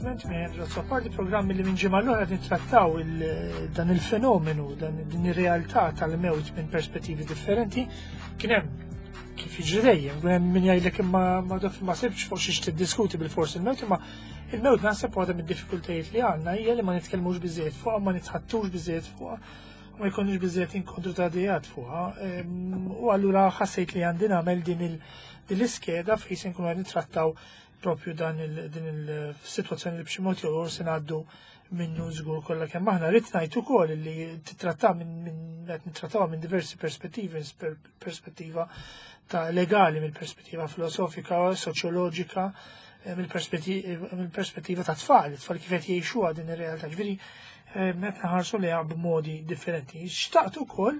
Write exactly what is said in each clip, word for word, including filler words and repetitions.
Appuntament minn Andrew Azzopardi, programmi li minn ġimgħa l-oħra nittrattaw dan il-fenomenu, dan din ir-realtà tal-mewt minn perspettivi differenti. Kien hemm kif jiġri dejjem, kien hemm min jgħidlek imma ma ma sibx fuq xiex tiddiskuti bil-fors il-mewt, imma il-mewt naħseb waħda mid-diffikultajiet li għandna hija li ma nitkellmux biżejjed fuqha, ma nitħattux biżejjed fuqha, ma jkunux biżejjed inkontru ta' idejat fuqha. U allura ħassejt li għandi nagħmel din l-iskeda fejn se nkunu qed nittrattaw propju dan din il-sitwazzjoni li b'xi mod jew se ngħaddu minnu żgur kollha kemm aħna. Rrid ngħid ukoll li titratta minn qed nittrattawha minn diversi perspettivi, perspettiva ta' legali, mill-perspettiva filosofika, soċjoloġika, mill-perspettiva ta' tfal, tfal kif qed jgħixuha din ir-realtà. Ġifieri qed nħarsu lejha b'modi differenti. Xtaqt ukoll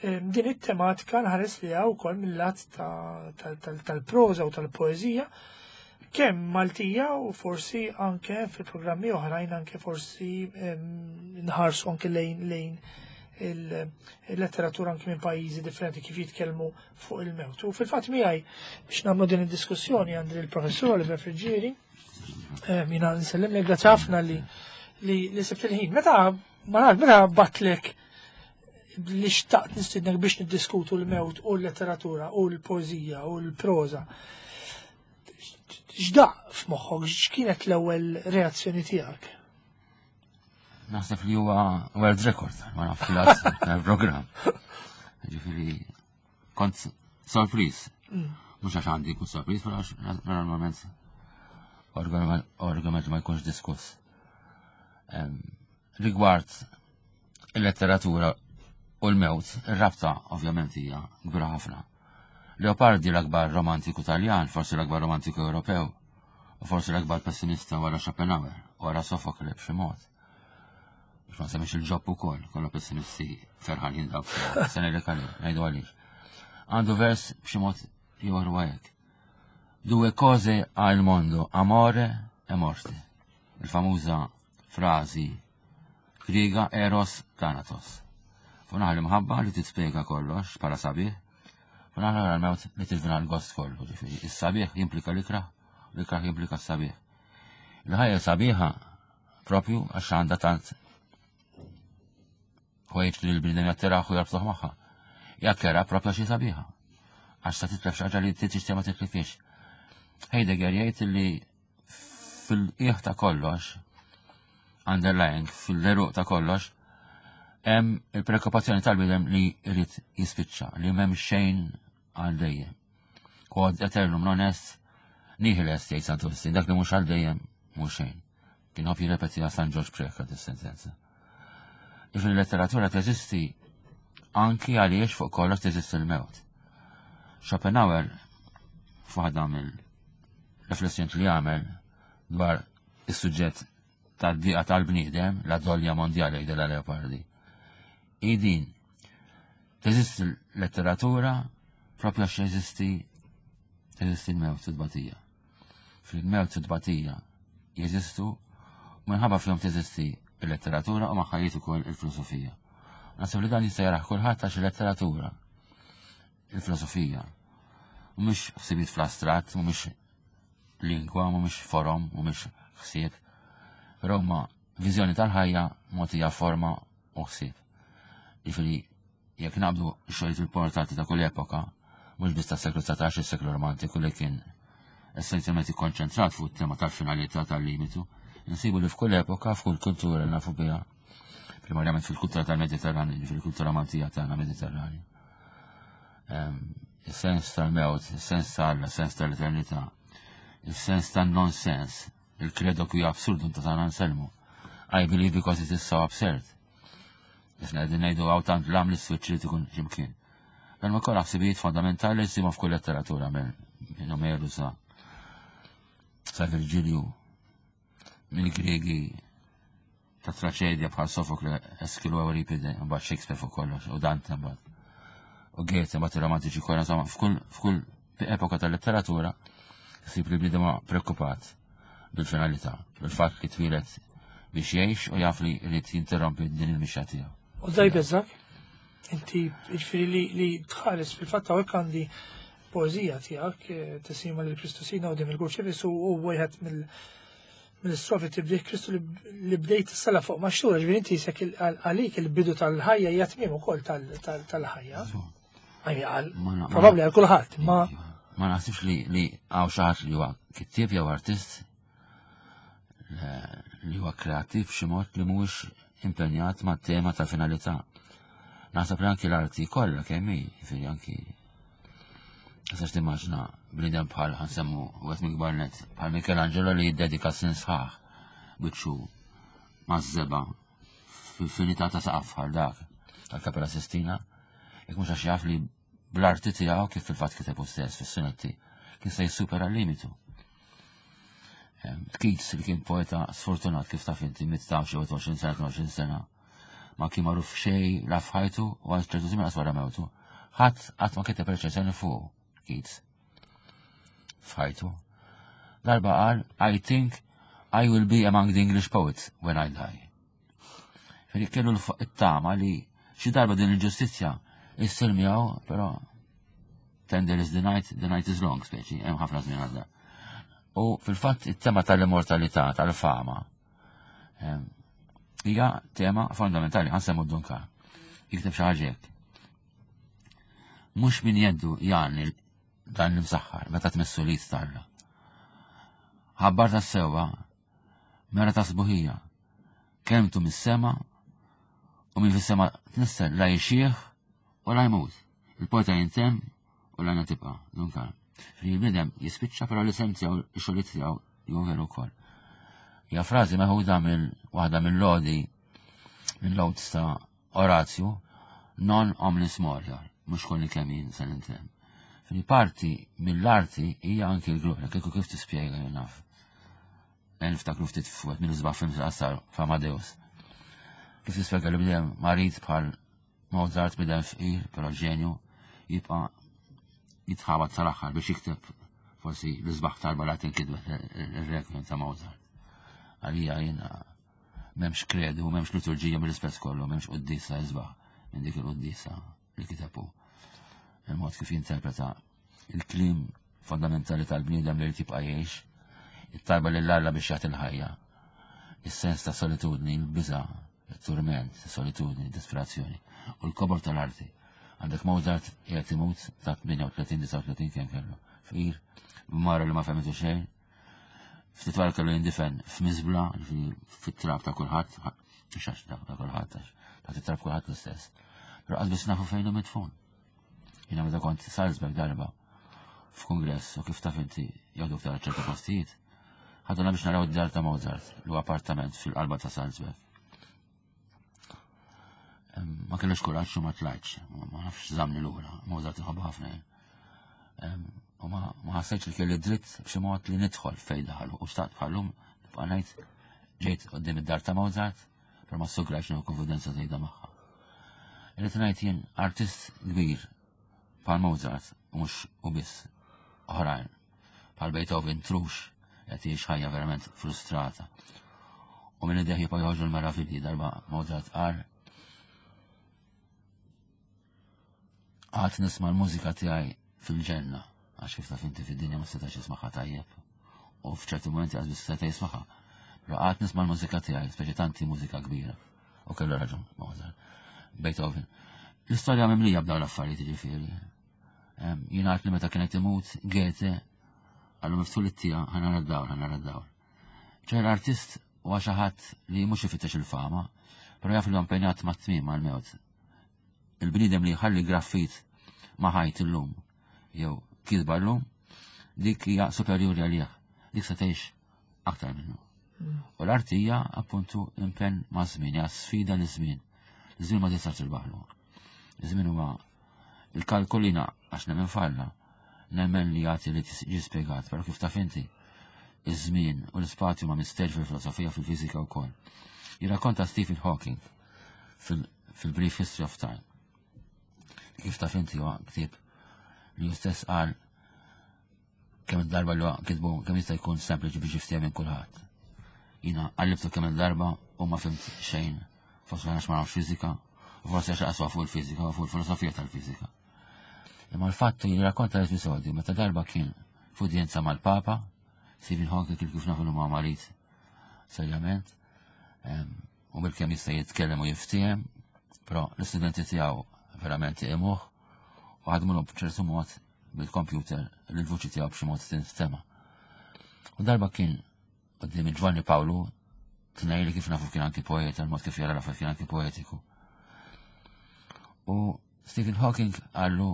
din it-tematika nħares lejha wkoll mill-lat tal-proża u tal-poeżija, kemm Maltija u forsi anke fil-programmi oħrajn, anke forsi nħarsu anke lejn lejn il-letteratura anke minn pajjiżi differenti kif jitkellmu fuq il-mewt. U fil-fatt miegħi biex nagħmlu din id-diskussjoni għandi il-professur Oliver Friggieri. Jiena nsellem, grazzi ħafna li li sibt il-ħin. Meta ma nafx, meta bgħattlek li xtaqt nistidnek biex niddiskutu l-mewt u l-letteratura u l-poeżija u l-proża, x'daqq f'moħħok, x'kienet l-ewwel reazzjoni tiegħek? Naħseb li huwa world record, ma naf fil-programm. Ġifieri kont sorpriż. Mhux għax għandi kun sorpriż, però għax normalment argument ma jkunx diskuss. Rigward il-letteratura u l-mewt, ir-rabta ovvjament hija kbira ħafna. Leopardi, l-akbar romantiku Taljan, forsi l-akbar romantiku Ewropew, u forsi l-akbar pessimista wara Schopenhauer, wara Sofokle b'xi mod. Biex ma semmix il-Ġob ukoll, kollha pessimisti ferħanin dawk, sena li kalli, ngħidu għaliex. Għandu vers b'xi mod jew hekk: "Due cose ha il mondo, amore e morte." Il-famuża frażi Griega eros thanatos. Fuq naħa l-imħabba li tispjega kollox bħala sabiħ, fuq naħa l-mewt li tirvina l-gost kollu, ġifieri. Is-sabiħ jimplika l-ikrah, l-ikrah jimplika s-sabiħ. Il-ħajja sabiħa propju għax għandha tant ħwejġ li l-bniedem jattiraħ u jarbtuħ magħha. Hija kerha propju xi sabiħa. Għax sa titlef xi ħaġa li tixtieq ma titlifix. Heidegger jgħid li fil-qiegħ ta' kollox, underlying, fil-għeruq ta' kollox, hemm il-preokkupazzjoni tal-bniedem li jrid jispiċċa, li m'hemm xejn għal dejjem. Quod aeternum non est, nihil est, jgħid Santu Wistin, dak li mhux għal dejjem mhux xejn. Kien ħobb jirrepetiha San Ġorġ Preca dis-sentenza. Ġifieri letteratura teżisti anki għaliex fuq kollox teżisti l-mewt. Schopenhauer, f'waħda mill-riflessjoni li għamel dwar is-suġġett tad-diqa tal-bniedem, la doglia mondiale jgħidilha Leopardi. Idin, teżisti l-letteratura propju għax jeżisti teżisti l-mewt u tbatija. Fil-mewt u tbatija jeżistu, minħabba fihom teżisti il-letteratura u magħha ukoll il-filosofija. Naħseb li dan jista' jarah kulħadd għax il-letteratura, il-filosofija, mhumiex ħsibiet fl-astratt, mhumiex lingwa, mhumiex forom, mhumiex ħsieb, però huma viżjoni tal-ħajja mogħtija forma u ħsieb. Jiġifieri jekk naqbdu xogħlijiet importanti ta' kull epoka, mhux biss tas-seklu dsatax, is-seklu romantiku li kien essenzjalment ikkonċentrat fuq it-tema tal-finalità, tal-limitu, insibu li f'kull epoka, f'kull kultura li nafu biha, primarjament fil-kultura tal-Mediterrani, fil-kultura Maltija tagħna Mediterrani. Il-sens tal-mewt, il-sens tal sens tal-eternità, il-sens tal-nonsens, il-credo quia absurdum ta' San Anselmo. "I believe because it is so absurd." Isna qegħdin ngħidu hawn tant lam li s-switch li tkun x'imkien. Dan ma kollha ħsibijiet fondamentali li ssibu f'kull letteratura minn Omeru sa sa Virgilju, mill-Griegi ta' traċedja bħal Sofokle, Eskilu, Euripide, mbagħad Shakespeare fuq kollox, u Dante mbagħad. U Goethe, mbagħad ir-romantiċi kollha, insomma, f'kull f'kull epoka tal-letteratura ssib li bniedem preokkupat bil-finalità, bil-fatt li twieled biex jgħix u jaf li jrid jinterrompi din il-mixja tiegħu. U daj beżak, inti ġifieri li, li tħares fil-fatt hawnhekk għandi poeżija tiegħek, eh, tislima lil Kristu Sidna quddiem il-Kurċifiss, u wieħed mill mill-istrofi tibdih Kristu li bdejt s-sala fuq maxtura, ġifieri inti jisek għalik il-bidu tal-ħajja hija tmiem ukoll tal-ħajja. Għal, probabbli għal kulħadd, ma ma naħsibx li li hawn xi ħadd li huwa kittieb jew artist li huwa kreattiv b'xi mod li mhuwiex impenjat mat-tema tal-finalità. Naħseb li anki l-arti kollha kemm hi, jiġifieri anki Tistax timmaġina bniedem bħal ħa nsemmu wieħed minn kbar net bħal Michelangelo li jiddedika snin sħaħ biċċu maż-żebgħa fil-finità ta' saqaf bħal dak tal-Kapella Sistina, jekk mhux għax jaf li bl-arti tiegħu kif fil-fatt kiteb hu stess fis-sunetti kien se jissupera l-limitu. Keats li kien poeta sfortunat kif taf inti miet ta' xi għoxrin sena, tnejn u għoxrin sena, ma kien magħruf xejn la f'ħajtu u għal ċertu żmien wara mewtu. Ħadd qatt ma kiteb reċensjoni fuq Keats f'ħajtu. Darba qal, "I think I will be among the English poets when I die." Feri kellu l-tama li xi darba din il-ġustizzja issir miegħu, però tender is the night, the night is long, speċi, hemm ħafna żmien għadda. U fil-fatt it-tema tal-immortalità, tal-fama, hija tema fondamentali, ħa nsemmu Dun Karm. Jikteb xi ħaġa hekk. Mhux min jeddu jgħanni dan l-imsaħħar meta tmissu li starra. Ħabbar ta' sewwa, mera ta' sbuħija, kelmtu mis-sema u minn fis-sema tnissel la jixjieħ u la jmut. Il-poeta jintemm u l tibqa', Dun Karm. Il-bniedem jispiċċa, però l-isem tiegħu, ix-xogħlijiet tiegħu jew veru wkoll. Hija frażi meħuda mill waħda mill-lodi mill-odes ta' Orazju, "Non omnis morior", mhux kolli kemm jien se nintemm. Fil parti mill-arti hija anki l-glorja, kieku kif tispjega jien naf. Niftakru ftit f'wieħed mill-isbaħ films qasar f'Amadeus. Kif tispjega li bniedem marid bħal Mozart, bniedem fqir, però ġenju, jibqa' jitħawat sal-aħħar biex jikteb forsi l-isbaħ talba li tinkitbet, il-Requiem ta' Mozart? Għalija jiena m'hemmx kredu, m'hemmx liturġija mill-ispess kollu, m'hemmx quddisa isbaħ minn dik il-quddisa li kitebu. Il-mod kif jinterpreta il-kliem fondamentali tal-bniedem li jibqa' jgħix, it-talba lil Alla biex jagħti l-ħajja, is-sens ta' solitudni, il-biża', il-turment, solitudni, disperazzjoni u l-kobor tal-arti. Għandek Mozart qiegħed imut ta' tmienja u tletin, disgħa u tletin kemm kellu. Fqir, mara li ma fehmitu xejn. Ftit wara kellu jindifen f'miżbla, fit-trab ta' kulħadd, xax ta' kulħadd, ta' trab kulħadd l-istess. Però qas biss nafu fejn hu midfun. Jiena meta kont Salzburg darba f'kongress u kif taf inti jgħidu tara ċerta postijiet, ħaduna biex naraw id-dar ta' Mozart, l appartament fil-qalba ta' Salzburg. Ma kellux kuraġġ u ma tlajtx, ma nafx żamni lura, Mozart iħobb ħafna jien. U ma ħassejtx li kelli dritt b'xi mod li nidħol fejn daħlu u xtaqt bħallum nibqa' ngħid ġejt qudiem id-dar ta' Mozart, però ma ssugrajx nieħu konfidenza żejda magħha. Irrid ngħid jien artist kbir bħal Mozart u mhux u biss oħrajn bħal Beethoven trux qed jgħix ħajja verament frustrata. U minn idejh jibqa' joħorġu l-meravilji. Darba Mozart qal, "Għad nisma' l-mużika tiegħi fil-ġenna", għax kif taf inti fid-dinja ma setax jismagħha tajjeb. U f'ċerti momenti għaz biss seta' jismagħha. Però għad nisma' l-mużika tiegħi, speċi tanti mużika kbira. U kellu raġun Mozart. Beethoven. L-istorja mimlija b'dawn l-affarijiet ġifieri. Jingħad li meta kienet imut Goethe qallu, "Miftħu it-tieqa, ħa nara d-dawl, ħa nara d-dawl." ċe l-artist huwa xi ħadd li mhux ifittex il-fama, però jaf li impenjat mat-tmiem, mal-mewt. Il-bniedem li jħalli graffit ma' ħajt illum jew kitba llum, dik hija superjuri għalih, dik se tgħix aktar minnu. U l-arti hija appuntu impenn ma' żmien, hija sfida li żmien. Iż-żmien ma tistax tirbaħlu. Iż-żmien huwa il-kalkulina għax nemmen f'Alla, nemmen li jagħti li ġi spjegat, però kif taf inti, iż-żmien u l-ispazju ma mister fil-filosofija, fil-fiżika wkoll. Jirrakkonta Stephen Hawking fil-Brief History of Time. Kif taf inti huwa ktieb li hu stess qal kemm darba li kitbu kemm jista' jkun sempliċi biex jiftiehem minn kulħadd. Jiena qallibtu kemm il-darba u ma fhimt xejn, forsi għax ma nafx fiżika, u forsi għax aqswa fuq il-fiżika u fuq il-filosofija tal-fiżika. Imma l-fatt li rakkonta l-episodju meta darba kien f'udjenza mal-Papa, Stephen Hawking, kif kif nafu ma marid serjament, u bil-kemm jista' jitkellem u jiftiehem, però l-istudenti tiegħu verament iqimuh u ħadmulhom b'ċertu mod bil-computer li l-vuċi tiegħu b'xi mod tinstema'. U darba kien quddiem Ġwanni Pawlu tnejn li kif nafu kien anki poeta, il-mod kif jara l kien anki poetiku. U Stephen Hawking qallu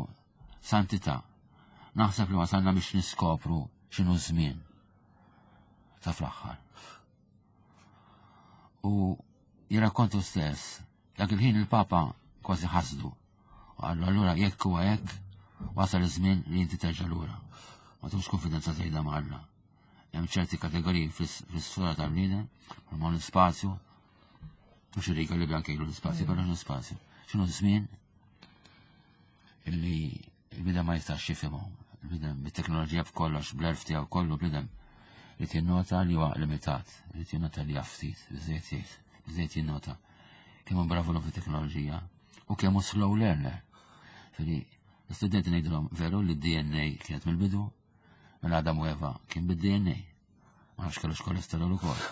santità, naħseb li wasalna biex niskopru x'inhu żmien ta' fl-aħħar. U jirrakkontu stess, dak il-ħin il-Papa kważi ħasdu. U qallu allura jekk huwa hekk, wasal iż-żmien li inti terġa' lura. Ma tux konfidenza żejda ma' Alla. Hemm ċerti kategoriji fis-sura tal-bniedem, bħalma l-ispazju, mhux ir-riga li anke l-ispazju, però l-ispazju. X'inhu żmien illi il-bniedem ma jistax jifhimhom. Il-bniedem bit-teknoloġija b'kollox, bl-għerf tiegħu kollu bniedem li jinnota li huwa limitat, li jinnota li ftit, biżejjed jgħid, biżejjed jinnota kemm hu bravu l fit-teknoloġija u kemm hu slow learner. Fili, l-istudenti ngħidulhom veru li d-DNA kienet mill-bidu, mela Adam u Eva kien bid-DNA. Ma nafx kellux kolesterol ukoll.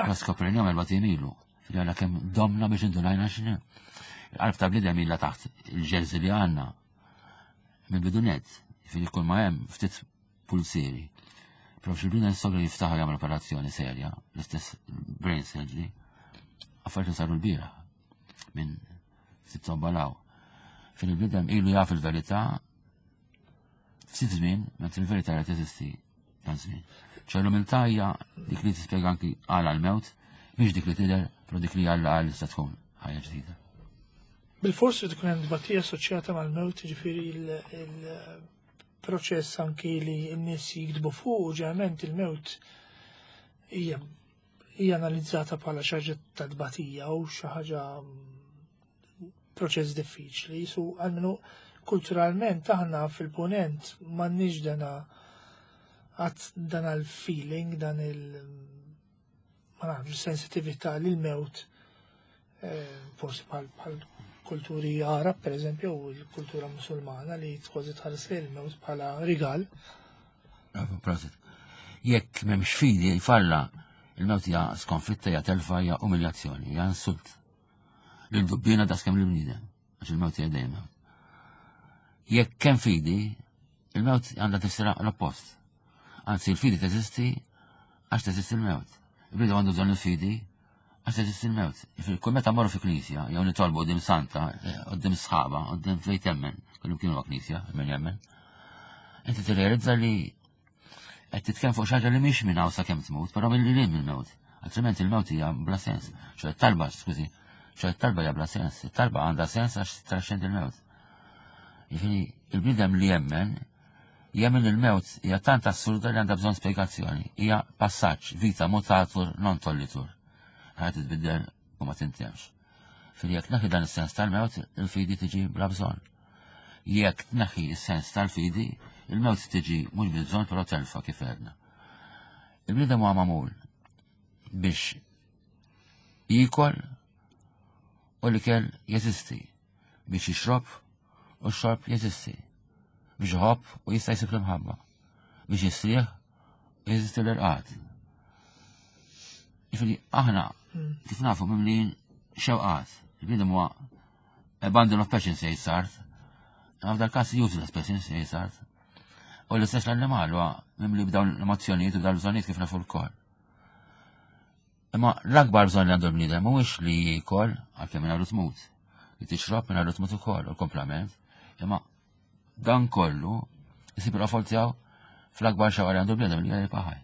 Ma skoprejnihom erba' ilu. Fili għala kemm domna biex indunajna x'inhu. Il-qalb ta' bniedem ilha taħt il-ġerzi li għandna mill-bidu net, fili kull ma hemm ftit pulsieri. Però xi bniedem sogra jiftaħu jagħmel operazzjoni serja, l-istess brain surgery, affarijiet li saru l-bieraħ minn ftit tobbalaw. Fil il-bniedem ilu jaf il-verità ftit żmien, mentri il-verità qed teżisti dan żmien. ċe l-umiltà hija dik li tispjega anki għala l-mewt, mhix dik li tidher, però dik li Alla għal tista' tkun ħajja ġdida. Bil-fors li tkun hemm tbatija assoċjata mal-mewt, ġifieri il-proċess anki li n-nies jiktbu fuq, ġeneralment il-mewt hija hija analizzata bħala xi ħaġa ta' tbatija u xi ħaġa mm, proċess diffiċli. Su għalmenu kulturalment aħna fil-punent m'għandniex dana għat dan il-feeling, dan il- ma nafx, sensitività lil mewt eh, forsi bħal bħal kulturi Arab, per eżempju, u l-kultura musulmana li kważi tħares il-mewt bħala rigal. Bravo, prosit. Jekk m'hemmx fidi f'Alla, il-mewt hija skonfitta, hija telfa, hija umiljazzjoni, hija insult. Lil dubbina daqskemm lill-bniedem, għax il-mewt hija dejjem mewt. Jekk hemm fidi, il-mewt għandha tifsira l-oppost. Anzi, il-fidi teżisti għax teżisti l-mewt. Il-bniedem għandu bżonn il-fidi għax teżisti l-mewt. Kull meta morru fi knisja, jew nitolbu quddiem santa, quddiem sħaba, quddiem fejn temmen, kullum kienu knisja, min jemmen, inti tirrealizza li qed titkellem fuq xi ħaġa li mhix minn hawn sakemm tmut, però milli lil mill-mewt. Altrimenti il-mewt hija bla sens. ċe talba, skużi, ċe talba hija bla sens. It-talba għandha sens għax traxxendi il-mewt. Jiġifieri il-bniedem li jemmen, jemmen il-mewt hija tant assurda li għandha bżonn spjegazzjoni. Hija passaġġ, vita mutatur non tollitur. Ħajja titbiddel u ma tintemx. Fil jekk tneħħi dan is-sens tal-mewt, il-fidi tiġi bla bżonn. Jekk tneħħi is-sens tal-fidi, il-mewt tiġi mhux bil-bżonn però telfa kif għedna. Il-bniedem huwa magħmul biex jiekol u l-ikel jeżisti, biex jixrob u x-xorb jeżisti, biex iħobb u jista' jsib l-imħabba, biex jistrieħ u jeżisti l-irqad. Jiġifieri aħna kif nafu mimlin xewqat, il-bniedem huwa a bundle of passions jgħid Sartre, imma f'dal każ useless passions jgħid Sartre. U l-istess l-annimal huwa mimli b'dawn l-emozzjonijiet u b'dawn l-bżonnijiet kif nafu lkoll. Imma l-akbar bżonn li għandu l-bniedem mhuwiex li jiekol għalkemm mingħajru tmut, li tixrob mingħajru tmut ukoll u l-komplament, imma dan kollu isib il-qofol tiegħu fl-akbar xewqa li għandu l-bniedem li hija jibqa' ħaj.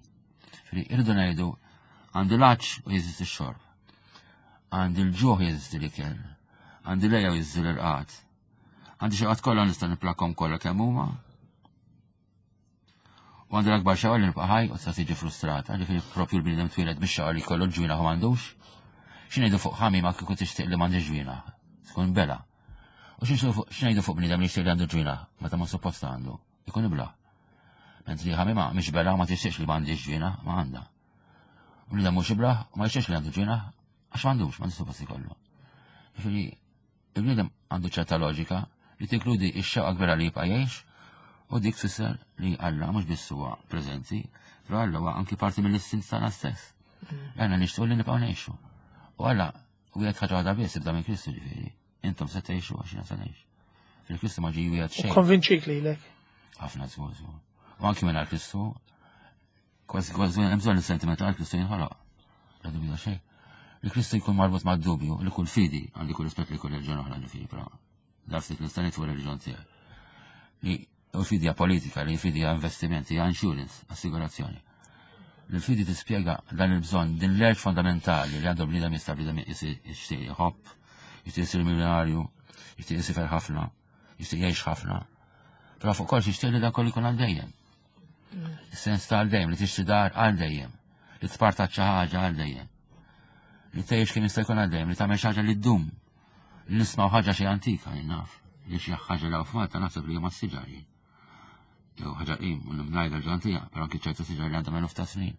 Fri irridu ngħidu għandi l-għatx u jeżisti x-xorb, għandi l-ġuħ jeżisti l-ikel, għandi l-għeja u jeżisti l-irqad, għandi xewqat kollha nista' niplakhom kollha kemm huma, U għandu l-akbar xewqa li nibqa' ħaj u tista' tiġi frustrata, ġifieri propju l-bniedem twieled biex xewqa li jkollu l-ġwienaħ u m'għandux. X'ngħidu fuq ħamima kieku tixtieq li m'għandix ġwienaħ? Tkun bela. U x'ngħidu fuq bniedem li jixtieq li għandu ġwienaħ meta ma suppost għandu? Ikun ibla. Mentri ħamima mhix bela ma tixtieqx li m'għandix ġwienaħ, ma għandha. U bniedem mhux iblah u ma jixtieqx li għandu ġwienaħ għax m'għandux, m'għandux suppost ikollu. Ġifieri il-bniedem għandu ċerta loġika li tinkludi x-xewqa kbira li jibqa' jgħix u dik tfisser li Alla mhux biss huwa preżenti, però Alla huwa anki parti mill-istint tagħna stess. Għanna nixtiequ li nibqgħu ngħixu. U Alla wiegħed ħaġa waħda biss ibda minn Kristu ġifieri. Intom se tgħixu għax jiena se ngħix. Fil-Kristu ma ġie wiegħed xejn. Konvinċik lilek. Ħafna żgur żgur. U anki minn Kristu, kważi kważi hemm bżonn is-sentiment għal Kristu jinħoloq. La dubju xejn. Li Kristu jkun marbut mad-dubju, li kull fidi, għandi kull rispett li kull reliġjon oħra ġifieri, però daf li nista' fuq reliġjon tiegħi. Li u fidi hija politika, li fidi hija investimenti, hija insurance, assigurazzjoni. Li l-fidi tispjega dan il-bżonn, din l-urge fondamentali li għandu bniedem jista' bniedem jixtieq jħobb, jixtieq isir miljonarju, jixtieq isifer ħafna, jixtieq jgħix ħafna. Però fuq kollox jixtieq li dan kollu jkun għal dejjem. Is-sens ta' għal dejjem, li tixtri dar għal dejjem, li tpartat xi ħaġa għal dejjem. Li tgħix kemm jista' jkun għal dejjem, li tagħmel xi ħaġa li ddum. Li nismgħu ħaġa xi antika jien naf, li xi ħaġa li f'Malta naħseb li huma s-siġar jien. Jew ħaġa qim, u ngħidha l-ġantija, però anki ċerta siġar li għandhom eluf ta' snin.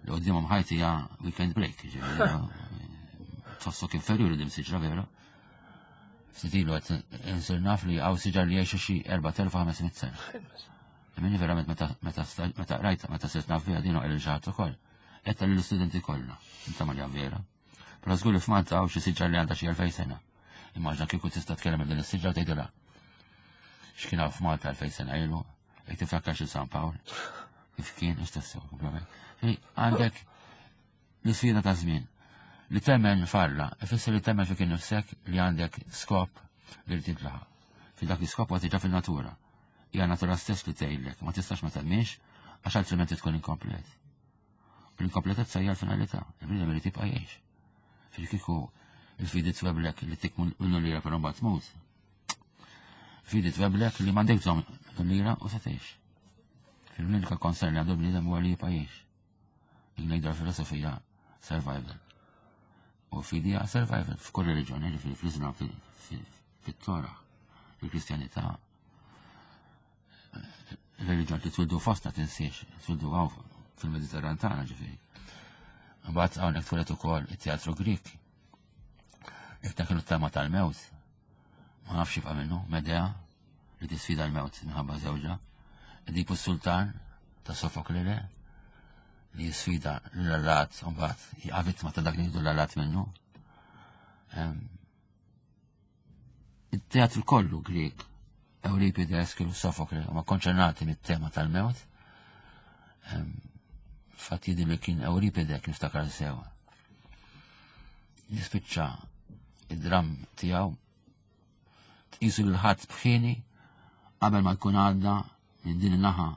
Li qudiemhom ħajti hija weekend break, ġifieri. Tħossok inferjuri dim siġra vera. Ftit ilu qed insir naf li hawn siġar li jgħixu xi erbat elef u ħames mitt sena. Minni verament meta meta meta rajta, meta sirt naf biha din il ġaħat ukoll. Qed lill-istudenti kollha, inta ma vera. Però żgur li f'Malta hawn xi siġar li għandha xi elfejn sena. Immaġna kieku tista' tkellem din is-siġra tgħidilha. X'kien hawn f'Malta elfejn sena ilu, jekk tiftakar xi San Pawl. Kif kien, ix tassew, komplement. Għandek l-isfida ta' żmien. Li temmen f'Alla, ifisser li temmen fik innifsek li għandek skop li trid tintlaħaq. Fi dak l-iskop huwa diġà fil-natura. Hija natura stess li tgħidlek, ma tistax ma temminx għax altrimenti tkun inkomplet. U l-inkompletezza hija l-finalità, il-bniedem irid jibqa' jgħix. Fil-kieku il-fidi tweblek li tik minnu lira però mbagħad tmut. Fidi tweblek li m'għandek bżonn lira u se tgħix. Fil-unika concern li għandu bniedem huwa li jibqa' jgħix. Ngħidu filosofija survival. U fidi hija survival f'kull reliġjoni, ġifieri fl-Islam, fit-Torah, fil-Kristjanità. Reliġjon li twildu fostna tinsiex, twildu għaw fil-Mediterran tagħna ġifieri. Mbagħad hawnhekk twieled ukoll it-teatru Grik. Iktar kienu tema tal-mewt. Ma nafx jibqa' minnu, Medea li tisfida l-mewt minħabba żewġha. Edipu Sultan ta' Sofokle li jisfida l-allat, u mbagħad jaqa' vittma ta' dak li jgħidu l-allat minnu. Il-teatru kollu Grik, Euripide, Eskilu, Sofokle, huma konċernati mit-tema tal-mewt. Fatt jidher li kien Euripide kien niftakar sewa. Jispiċċa id-dram tiegħu tqisu lil ħadd bħini qabel ma jkun għadda minn din in-naħa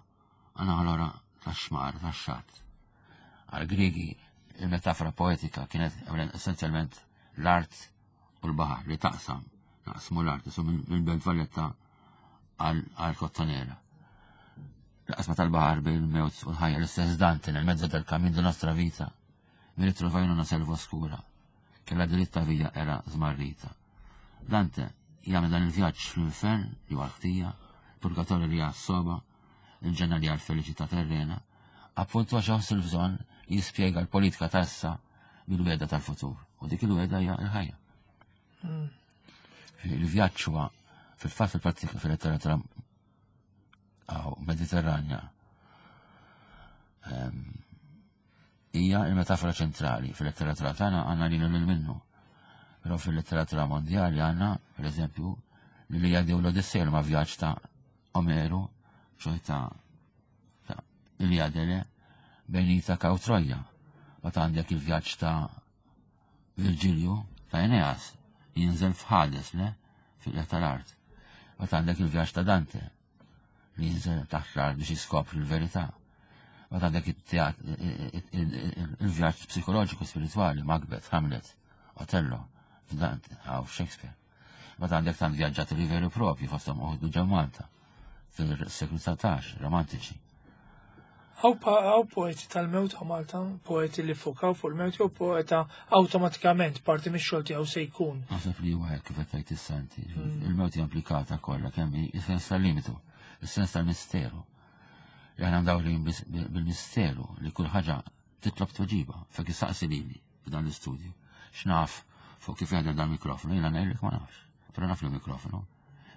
għal l-oħra tax-xmar, tax-xatt. Għal-Griegi il-metafora poetika kienet essenzjalment l-art u l-baħar li taqsam, naqsmu l-art, isu mill-Belt Valletta għal-Kottonera. L-qasma tal-baħar bejn il-mewt u l-ħajja, l-istess Dante nel mezzo del cammin di nostra vita, mi ritrovai in una selva oscura, che la diritta via era smarrita. Dante jagħmel dan il-vjaġġ fl-infern li huwa l-ħtija, purgatorju li hija s-soba, il-ġenna li hija l-felicità terrena, appuntu għax iħoss il-bżonn li jispjega l-politika ta' issa bil-wegħda tal-futur. U dik il-wegħda hija l-ħajja. Il-vjaġġ huwa fil-fatt fil-prattika fil-letteratura Mediterranja hija il-metafora ċentrali. Fil-letteratura tagħna għandna lil lil minnu. Però fil-letteratura mondjali għandna, per eżempju, l-Iliadi u l-Odissea ma' vjaġġ ta' Omeru, ċoè ta' ta' Iliadele, bejn Itaka u Troja. Bat għandek il-vjaġġ ta' Virgilju ta' Eneas, jinżel f'Hades, le? Fil tal-art. Bat għandek il-vjaġġ ta' Dante, li jinżel taħt l-art biex jiskopri l-verità. Bat għandek il-vjaġġ psikoloġiku spirituali, Macbeth, Hamlet, Otello, f'Dante, għaw Shakespeare. Bat għandek tant vjaġġaturi veri propri fosthom uħdu ġew Malta fil-seklu dsatax, romantiċi. Hawn poeti tal-mewt għaw Malta, poeti li fukaw fuq il-mewt jew poeta awtomatikament parti mix-xogħol tiegħu se jkun. Naħseb li huwa hekk kif qed tgħid is-santi. Il-mewt hija implikata kollha kemm hi is-sens tal-limitu, is-sens tal-misteru. Li aħna mdawrin bil-misteru li kull ħaġa titlob tweġiba. Fek issaqsi lili f'dan l-istudju. X'naf fuq kif jaħdem dan mikrofonu, jiena ngħidlek ma nafx. Però naf li mikrofonu.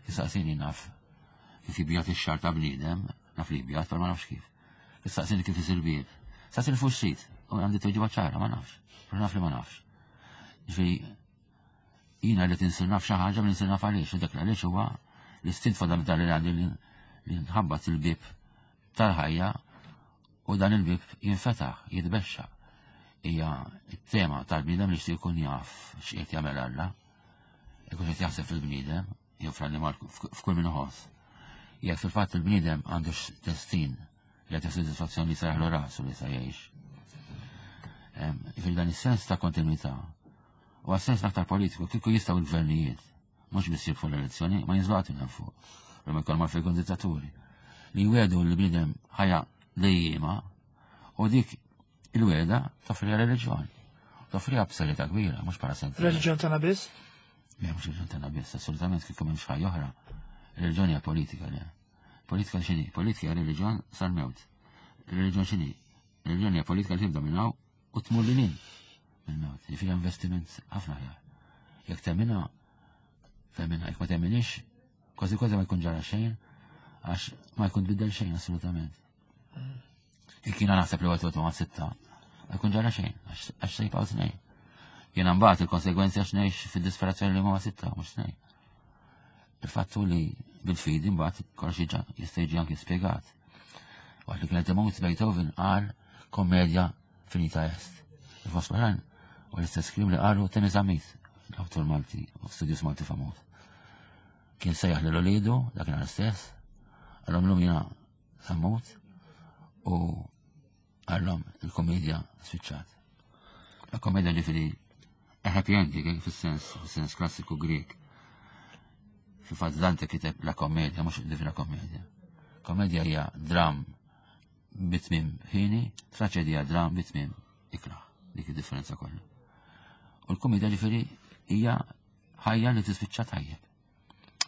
Issaqsini naf kif jibjat ix-xagħar ta' bniedem, naf li jibjat, però ma nafx kif. Issaqsini kif isir bieb. Saqsini fuq xrid, U għandi tweġiba ċara, ma nafx. Però naf li ma nafx. Ġifieri jiena li tinsir naf xi ħaġa, ma ninsir naf għaliex, u dak għaliex huwa l-istint fondamentali li għandi li nħabbat il-bib tal-ħajja u dan il-bib jinfetaħ, jitbexxa. Hija t-tema tal-bniedem li jixtieq jkun jaf x'qiegħed jagħmel Alla, jkun qed jaħseb fil-bniedem, jew fl-annimal f'kull min iħoss. Jekk fil-fatt il-bniedem għandu destin li qed sodisfazzjoni li saraħlu rasu li sa jgħix. Jiġifieri dan is-sens ta' kontinuità u għas-sens l-aktar politiku kieku jistgħu l-gvernijiet mhux biss jirbħu l-elezzjoni, ma jinżlu qatt minn fuq. Ma jkollhom għalfejn jkun dittaturi. Li jwedu l-bniedem ħajja dejjima u dik il-weda toffriha reliġjon. Toffriha b'serjetà kbira, mhux bħala sentiment. Reliġjon tagħna biss? Le, mhux reliġjon tagħna biss, assolutament kieku m'hemmx ħajja oħra. Reliġjon hija politika, le. Politika x'inhi? Politika hija reliġjon sal-mewt. Reliġjon x'inhi? Reliġjon hija politika li tibda minn hawn u tmur lil hinn mill-mewt. Jiġifieri investiment ħafna aħjar. Jekk temminha, temminha, jekk ma temminix, kważi kważi ma jkun ġara xejn, għax ma jkun tbiddel xejn assolutament. Jekk jiena naħseb li għatu ma' sitta, ma jkun ġara xejn, għax se jibqgħu tnejn. Jiena mbagħad il-konsegwenzi għax ngħix fid-disperazzjoni li huma sitta, mhux tnejn. Il-fattu li bil-fidi mbagħad kollox jiġa jista' jiġi anki spjegat. Waqt li kienet imut Beethoven qal kommedia finita est. Il-fost oħrajn u l-istess kliem li qalu Temi Zammit, l-awtur Malti, u studjus Malti famuż. Kien sejjaħ lil ulidu dakinhar stess, qalhom llum jiena sa mmut u qalhom il-komedja spiċċat. La komedja ġifieri a happy ending eh, fis-sens fis-sens klassiku Grek. Fil-fatt Dante kiteb la komedja, mhux Divina Komedja. Komedja hija dram bitmim ħini, traċedija dram bitmim ikraħ. Dik id-differenza kollha. U l-komedja ġifieri hija ħajja li tispiċċa tajjeb.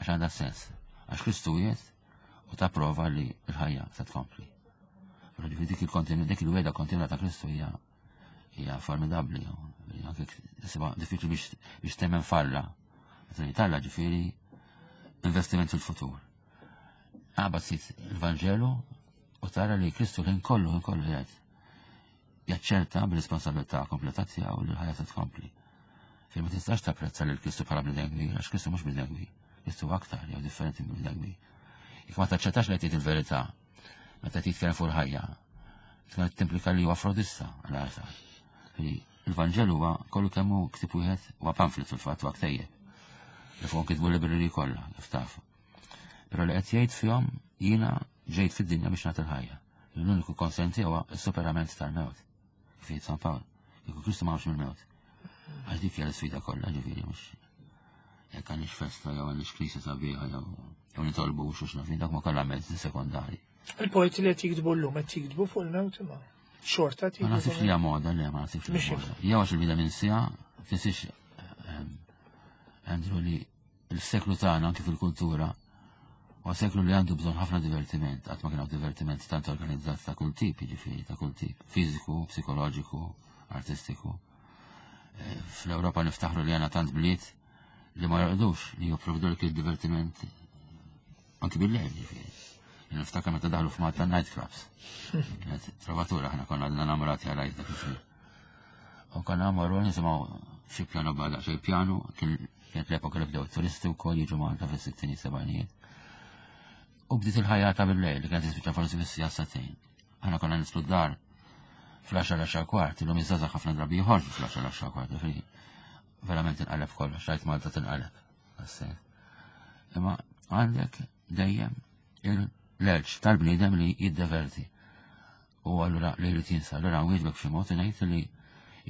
Għax għandha sens. Għax Kristu jgħid u ta' prova li l-ħajja se tkompli. Però ġifieri dik il-kontinu, dik il-weda kontinwa ta' Kristu hija hija formidabbli. Anke isibha diffiċli biex biex temmen falla. Meta talla ġifieri investiment fil-futur. Għabad sit il-Vanġelu u tara li Kristu l-ħin kollu ħin kollu jgħid jaċċerta bil-responsabilità kompleta tiegħu li l-ħajja se tkompli. Fejn ma tistax tapprezza lil Kristu bħala bniedem kbir, għax Kristu mhux bniedem kbir. Kristu aktar jew differenti minn bniedem kbir. Jekk ma taċċettax li tgħid il-verità, meta titkellem fuq il-ħajja, tkun timplika li huwa frodista għal għasar. Il-Vanġelu huwa kollu kemm hu ktieb wieħed huwa pamphlet fil-fatt huwa ktejjeb. Li fuq kitbu libreri kollha, kif tafu. Però li qed jgħid fihom jiena ġejt fid-dinja biex nagħti l-ħajja. L-uniku konsenti huwa s-superament tal-mewt. Kif jgħid San Pawl. Kieku Kristu ma mill-mewt. Għax dik hija l-sfida kollha, ġifieri mhux jekk għandix festa jew għandix knisja sabiħa jew jew nitolbu u xux nafin dak ma kollha mezzi sekondari. Il-poeti li qed jiktbu llum qed jiktbu fuq il-mewt imma xorta Ma naħsibx li hija moda, le, ma naħsibx li hija moda. Jew għax il-bida minn sija, tinsiex ehm, Andrew li l-seklu tagħna anke fil-kultura huwa seklu li għandu bżonn ħafna divertiment, qatt ma kien hawn divertiment tant organizzat ta' kull tip, jiġifieri ta' kull tip, fiżiku, psikoloġiku, artistiku. Eh, Fl-Ewropa niftaħru li għandna tant bliet li ma jorqdux li jopprovdu l divertiment anki bil-lejl, ġifieri. Niftakar meta daħlu f'Malta night clubs. Kienet trovatura, ħna konna għadna namurati għal dak iż-żmien. U konna morru nisimgħu xi pjano bada, xi pjano, kienet l-epoka li bdew turisti wkoll jiġu Malta fis-sittini sebgħinijiet. U bdiet il-ħajja ta' bil-lejl li kienet tispiċċa forsi fis-sija sagħtejn. Aħna konna nislu d-dar fl-għaxar l-għaxar kwart, illum iż-żgħażagħ ħafna drabi joħorġu fl-għaxar l-għaxar kwart, ġifieri verament tinqaleb kollox, rajt Malta tinqaleb. Imma għandek dejjem l-erġ tal-bniedem li jiddeverti. U allura li jrid jinsa, allura nwieġbek b'xi mod ngħid li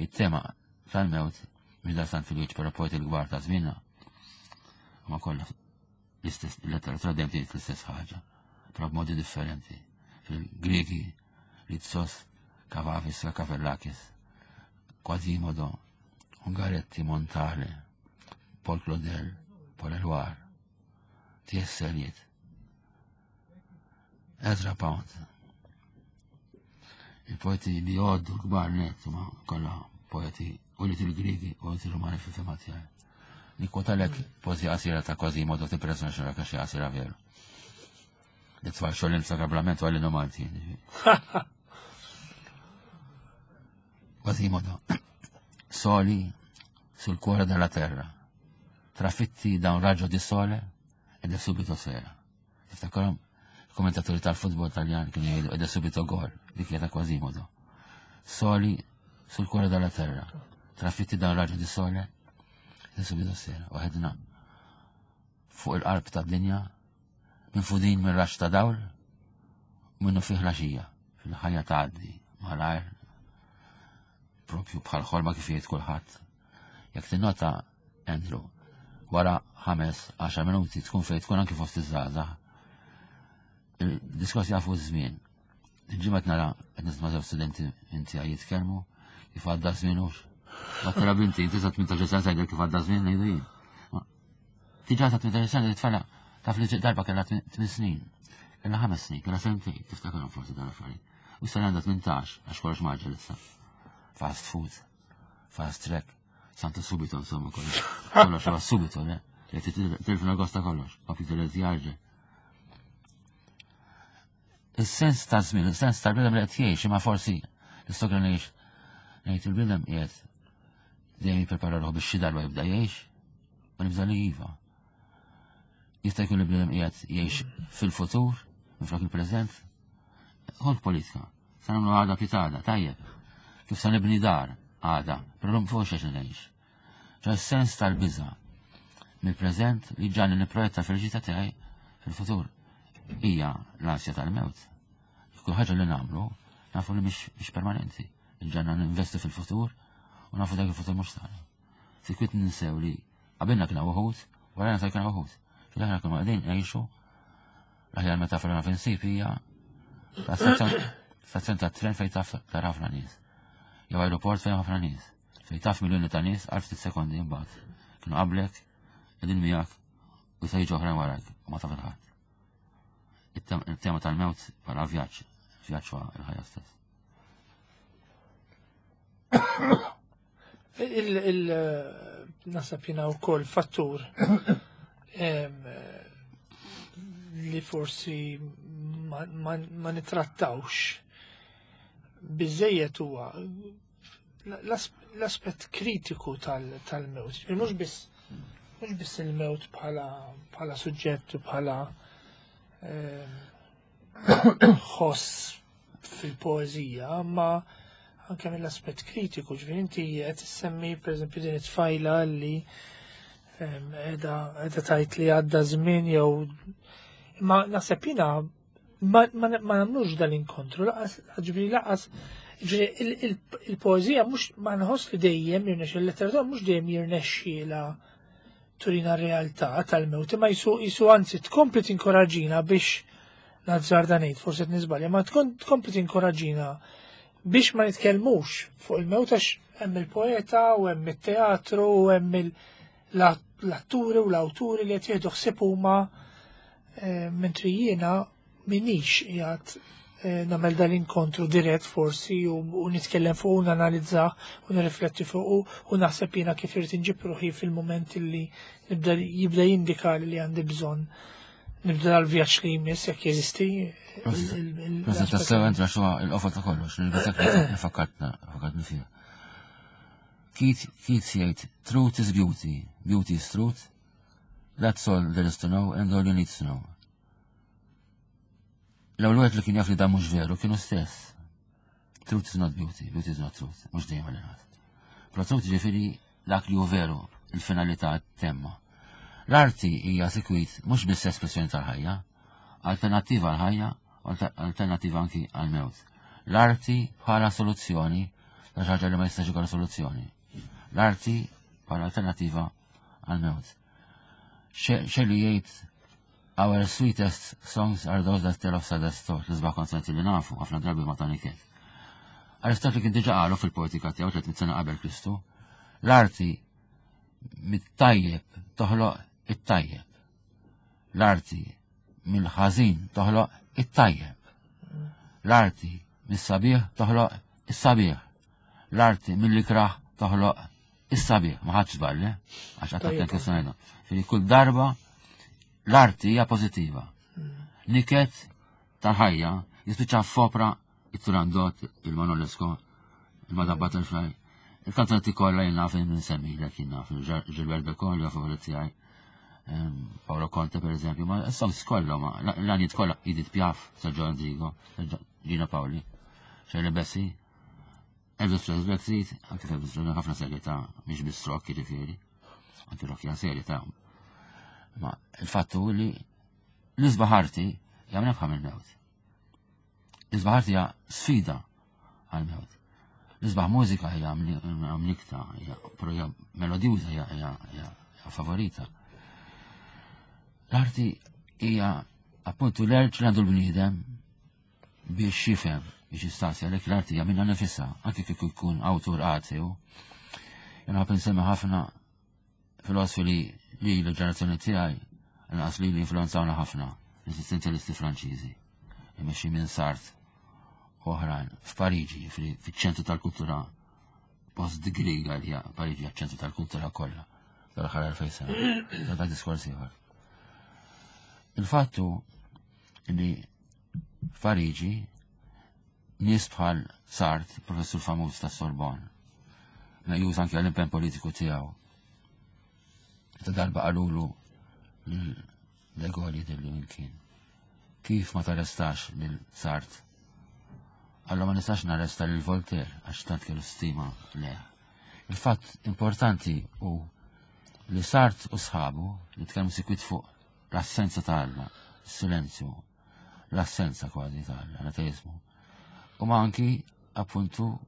it-tema tal-mewt mhix dastant fil-wieġ però poeti l-kbar ta' żmienna. Ma kollha l-istess letteratura dejjem tgħid l-istess ħaġa, però b'modi differenti. Fil-Griegi, Ritsos, Kavafis, Kavellakis, Quasimodo, Ungaretti, Montale, Paul Claudel, Paul Eluard, T S. Eliot, Ezra Pound. Il-poeti li jgħoddu l-kbar net, ma kollha poeti u li til-Griegi u li til-Rumani fil-fema tiegħi. Nikkwotalek poezija qasira ta' Quasimodo tippressjona xi xi qasira veru. Li tfal xogħol niftakar bl-lament u għalli Malti. Quasimodo. Soli sul cuore della terra, trafitti da un raggio di sole ed è subito sera. Tiftakarhom kommentatori tal-futbol taljan kienu jgħidu ed è subito gol, dik hija ta' Quasimodo. Soli sul cuore della terra, trafitti da un raggio di sole ed è subito sera. Waħedna fuq il-qalb tad-dinja, minfudin minn raġġ ta' dawl, u minnufih filgħaxija, fil-ħajja tgħaddi, malajr, propju bħal ħolma kif jgħid kulħadd. Jekk tinnota, Andrew, wara ħames, għaxar minuti tkun fejn tkun anki fost iż-żgħażagħ. Il-diskors jafu ż-żmien. Il-ġimgħa nara qed nisma' żewġ studenti inti jitkellmu kif għadda żmien hux. Ma tara binti, inti sa tmintax-il sena tgħidel kif għadda żmien ngħidu jien. Diġà ta' tmintax-il sena tfala taf li darba kellha tmien snin. Kellha ħames snin, kellha sentejn, tiftakarhom forsi dan affarijiet. U issa għandha tmintax għax kollox mgħaġġel issa. Fast food, fast track, santo subito insomma kollox. Kollox huwa subito, le? Li tilfna gosta kollox, computer li jgħaġġel. Is-sens ta' żmien, is-sens tal-bniedem li qed jgħix, imma forsi l-istogra ngħix ngħid il-bniedem qiegħed dejjem jipprepara ruħu biex xi darba jibda jgħix, ma nibża li iva. Jista' jkun il-bniedem qiegħed jgħix fil-futur, minflok il-preżent. Ħol politika. Sa nagħmlu għada pitgħada, tajjeb. Kif sa nibni dar għada, però l fuq xiex ngħix. Ċa sens tal-biża mill-preżent li ġani nipprojetta fil-ġita tiegħi fil-futur. Hija l-ansja tal-mewt. Kull ħaġa li nagħmlu nafu li mhix permanenti. Il-ġanna ninvestu fil-futur u nafu dak il-futur mhux tagħna. Sikwit ninsew li qabilna kien uħud, warajna sa kien uħud. Fil-aħna kienu qegħdin ngħixu l-aħjar metafora naf insib hija stazzjon ta' tren fejn taf tara ħafna nies. Jew aeroport fejn ħafna nies. Fejn taf miljoni ta' nies għal ftit sekondi imbagħad. Kienu qablek, qegħdin miegħek u se jiġu oħrajn warajk u ma taf il-ħadd. Il-tema tal-mewt bħala vjaġġ, vjaġġ huwa il-ħajja stess. Il naħseb jiena wkoll fattur li forsi ma, ma, ma nitrattawx biżejjed huwa l-aspett kritiku tal-mewt. Mhux biss mhux biss il-mewt bħala bħala suġġett u bħala ħoss fil-poeżija, ma anke mill-aspett kritiku, ġifieri inti qed issemmi pereżempju din it-tfajla li qiegħda qiegħda tgħid li għadda żmien jew ma naħseb jiena ma nagħmlux dal-inkontru, laqas ġifieri laqas ġifieri il-poeżija mhux ma nħoss li dejjem jirnexxi il-letteratura mhux dejjem jirnexxiela turina r-realtà tal-mewt, imma jisu jisu anzi tkompli tinkoraġina biex nazzarda ngħid, forsi qed niżbalja, ma tkompli tinkoraġina biex ma nitkellmux fuq il-mewt għax hemm il-poeta u hemm it-teatru u hemm l-atturi u l-awturi li qed jieħdu ħsieb huma mentri jiena minix qiegħed nagħmel dal-inkontru dirett forsi u nitkellem fuq u nanalizzah u nirrifletti fuq u naħseb jiena kif irid inġib ruħi fil-mument li nibda jibda jindika li għandi bżonn nibda l-vjaġġ li jmiss jekk jeżisti. Proset tassew entra xuha il-qofol ta' kollox, nil-batak fakkartna, fakkartni fiha. Keats jgħid, truth is beauty, beauty is truth, that's all there is to know and all you need to know. L-ewwel wieħed li kien jaf li dan mhux veru kienu stess. Truth is not beauty, beauty is not truth, mhux dejjem għal Però truth ġifieri dak li hu veru, il-finalità temma. L-arti hija sikwit mhux biss espressjoni tal-ħajja, alternattiva għal-ħajja, alternattiva anki għal-mewt. L-arti bħala soluzzjoni ta' ħaġa li ma jistax ikollha soluzzjoni. L-arti bħala alternattiva għal-mewt. Shelley jgħid Our sweetest songs are those that tell of saddest thoughts, l-isbaħ kanzunetti li nafu, ħafna drabi ma ta' niket. Aristotli kien diġa qalu fil-poetika tiegħu tliet mitt sena qabel Kristu, l-arti mit-tajjeb toħloq it-tajjeb. L-arti mill-ħażin toħloq it-tajjeb. L-arti mis-sabiħ toħloq is-sabiħ. L-arti mill-ikraħ toħloq is-sabiħ. Ma ħadx żball, eh? Għax għattat kif ngħidha. Fili kull darba l-arti hija pożittiva. Niket tal-ħajja jispiċċa f'opra it-Turandot, il-Manolesco, Il-Madame Butterfly. Il-kantanti kollha jien naf nsemmilek, jien naf Gilbert Bécaud li favorit tiegħi. Paolo Conte, per eżempju, ma songs kollha, ma l-għanjiet kollha, Edith Piaf, Sergio Endrigo, Gino Paoli, Shirley Bassey, Elvis Presley, Backstreet, anke Elvis Presley ħafna serjetà, mhix biss rock jiġifieri, anke rock hija serjetà. Ma il-fattu li l-isbaħ arti hija mnebħa mill-mewt. L-isbaħ arti hija sfida għal-mewt. L-isbaħ mużika hija mnikta, hija però hija melodjuża, hija hija favorita. L-arti hija appuntu l-erġ li għandu l-bniedem biex jifhem, biex jistaqsi, għalhekk l-arti hija minnha nifisha, anke kieku jkun awtur ateu. Jien ħa nsemmi ħafna filosofi li li l-ġenerazzjoni tiegħi nqas li li influenzawna ħafna, l-esistenzjalisti Franċiżi, imexxi minn Sartre u oħrajn, f'Pariġi, fiċ-ċentru tal-kultura post-Griega li hija Pariġi, ċentru tal-kultura kollha tal-aħħar elfejn sena. Da diskors ieħor. Il-fattu li f'Pariġi nies bħal Sartre, professur famuż ta' Sorbonne, meqjus anke għall-impenn politiku tiegħu. Ta' darba qalulu lil De Gaulle, jidhirli minn kien: "Kif ma tarrestax lil Sartre?" Alla, "Ma nistax narresta lil Voltaire", għax tant kellu stima le. Il-fatt importanti u li Sartre u sħabu li tkellmu sikwit fuq l-assenza ta' Alla, silenzju, l-assenza kważi ta' Alla, l-ateizmu. U ma anki appuntu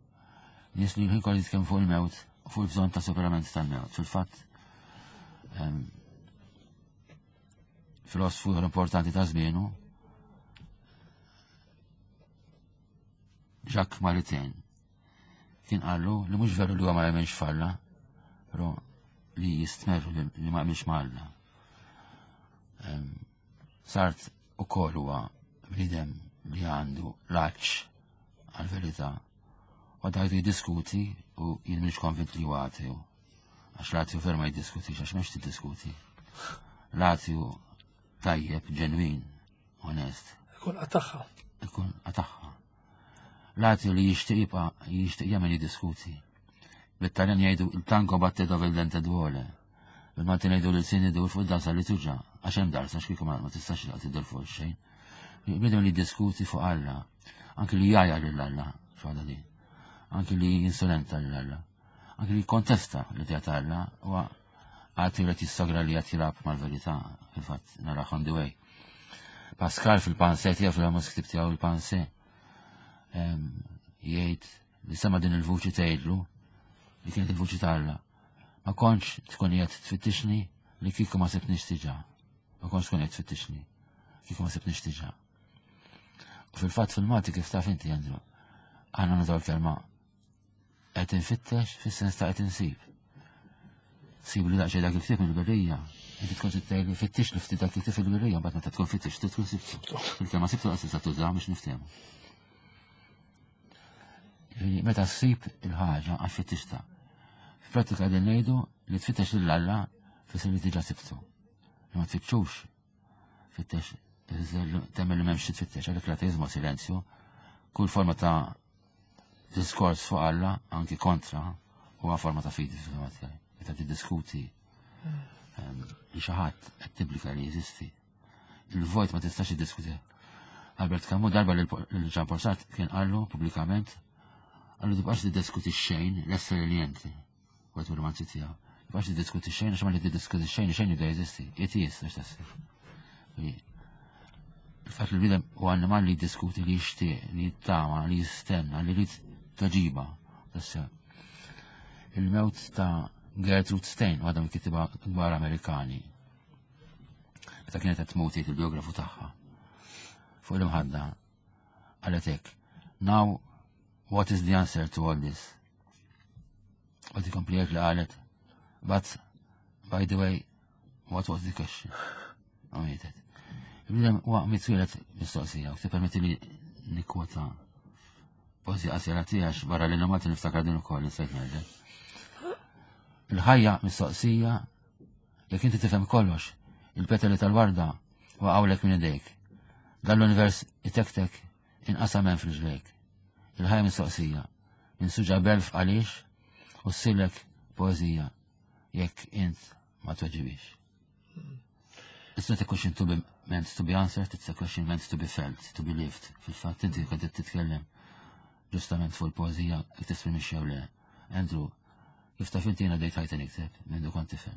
nies li l-ħin kollu jitkellmu fuq il-mewt, fuq il-bżonn ta' superament tal-mewt. Fil-fatt, em, filosofu importanti ta' żmienu, Jacques Maritain, kien qallu li mhux veru li huwa ma jemmenx f'Alla, però li jistmerru li li ma jemmenx ma' Alla. Em, Sartre ukoll huwa bniedem li għandu l-għatx għal-verità. U għadajtu jiddiskuti u jien mhix konvint li huwa ateu. Għax l-ateu fer ma jiddiskutix, għax m'hemmx tiddiskuti. L-ateu tajjeb, ġenwin, onest. Ikun qataħħa. Ikun qataħħa. L-ateu li jixtieq jibqa' jixtieq jagħmel jiddiskuti. Bit-Taljan jgħidu "il tango batte dove il dente duole". Bil-Malti ngħidu li l-sin idur fuq id-darsa li tuġa', għax hemm darsa, x'kieku ma tistax tiddur fuq xejn. Bniedem li jiddiskuti fuq Alla, anki li jgħajjar lil Alla, x'għadha din. Anki li insolenta lil Alla. Anki li kontesta l-idea ta' Alla, huwa għati li jissogra li qed jilgħab mal-verità, fil-fatt nara on the way. Pascal fil-Pensées tiegħu, fil-famuż ktib tiegħu il-Pensées, jgħid li sema din il-vuċi tgħidlu li kienet il-vuċi ta' Alla: "Ma kontx tkun qiegħed tfittixni li kieku ma sibtnix diġà. Ma kontx tkun qiegħed tfittixni kieku ma sibtnix diġà." U fil-fatt fil-Malti, kif taf inti, Andrew, aħna nużaw il-kelma qed infittex fis-sens ta' qed insib. Sib li daqsxejn dak il-ktieb mill-berrija. Inti tkun tgħid li fittix li ftit dak il-ktieb fil-berrija, mbagħad meta tkun fittix tkun sibtu. Il-kelma sibtu qas tista' tuża biex niftehmu. Meta ssib il-ħaġa għax fittixta. F'prattika din ngħidu li tfittex lil Alla fisser li diġà sibtu. Li ma tfittxux fittex temmen li m'hemmx tfittex, għalhekk l-ateizmu silenzju, kull forma ta' diskors fuq Alla, anki kontra, huwa forma ta' fidi fil tiegħi. Meta tiddiskuti li xi ħadd qed timplika li jeżisti. Il-vojt ma tistax tiddiskuti. Albert Camus darba lil Jean Paul Sartre kien qallu pubblikament, qallu: "Tibqax tiddiskuti xejn, l-essere niente." Għet romanzi tiegħu. "Tibqax tiddiskuti xejn, għax ma li tiddiskuti xejn, xejn jibda jeżisti." It is, għax tassib. Il-fatt li l-bniedem u annimal li jiddiskuti, li jixtieq, li jittama, li jistenna, li jrid tweġiba. Tassew. Il-mewt ta' Gertrude Stein, waħda mill-kittiba kbar Amerikani. Meta kienet qed tmut, il-biografu tagħha fuq l-imħadda qalet hekk: "Now, what is the answer to all this?" U tikompli hekk li qalet: "But, by the way, what was the question?" U mietet. Il-bniedem huwa mitwieled mistoqsija, u tippermetti li nikkwota poeżija qasira tiegħek barra li Malti niftakar din ukoll insejt ngħidlek. Il-ħajja mistoqsija, jekk inti tifhem kollox, il-petali tal-warda waqgħulek minn idejk. Dan l-univers itektek inqasam hemm f'riġlejk. Il-ħajja mistoqsija. Ninsuġa belf għaliex u ssirlek poeżija jekk int ma tweġibix. It's not a question to be meant to be answered, it's a question meant to be felt, to be lived. Fil-fatt inti kont qed titkellem ġustament fuq il-poeżija jekk tesprimix jew le. Andrew, kif taf inti jiena dejt ħajti nikteb minn kont tifel.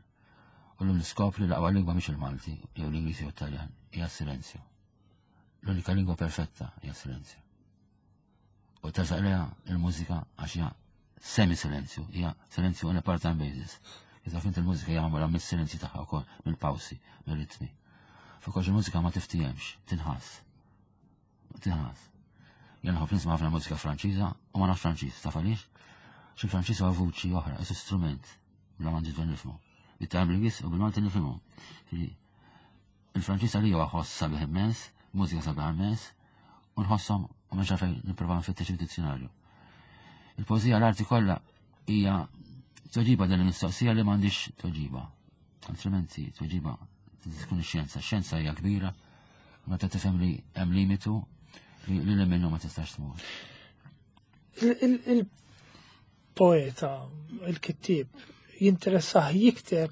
U llum niskopri l-aqwa lingwa mhix il-Malti jew l-Ingliż jew Taljan, hija silenzju. L-unika lingwa perfetta hija silenzju. U tersaq lejha il-mużika għax hija semi-silenzju, hija silenzju on a part-time basis. Iżda fint il-mużika hija magħmula mis-silenzju tagħha wkoll, mill-pawsi, mill-ritmi. Fuq il-mużika ma tiftihemx, tinħass. Tinħass. Jien nħobb nisma' ħafna mużika Franċiża u ma nafx Franċiż, taf għaliex? Xi Franċiż huwa vuċi oħra, is strument, bla ma nġidu nifhmu. Bit-tajm bl-Ingliż u bil-Malti nifhmu. Il-Franċiż għalija huwa ħoss sabiħ immens, mużika sabiħ immens, u nħosshom u mhux fejn nipprova nfittex id-dizzjonarju. Il-poeżija l-arti kollha hija tweġiba din il-mistoqsija li m'għandix tweġiba. Altrimenti tweġiba tkun ix-xjenza. X-xjenza hija kbira, meta tifhem li hemm limitu li li minnu ma tistax tmur. Il-poeta, il-kittib, jinteressah jikteb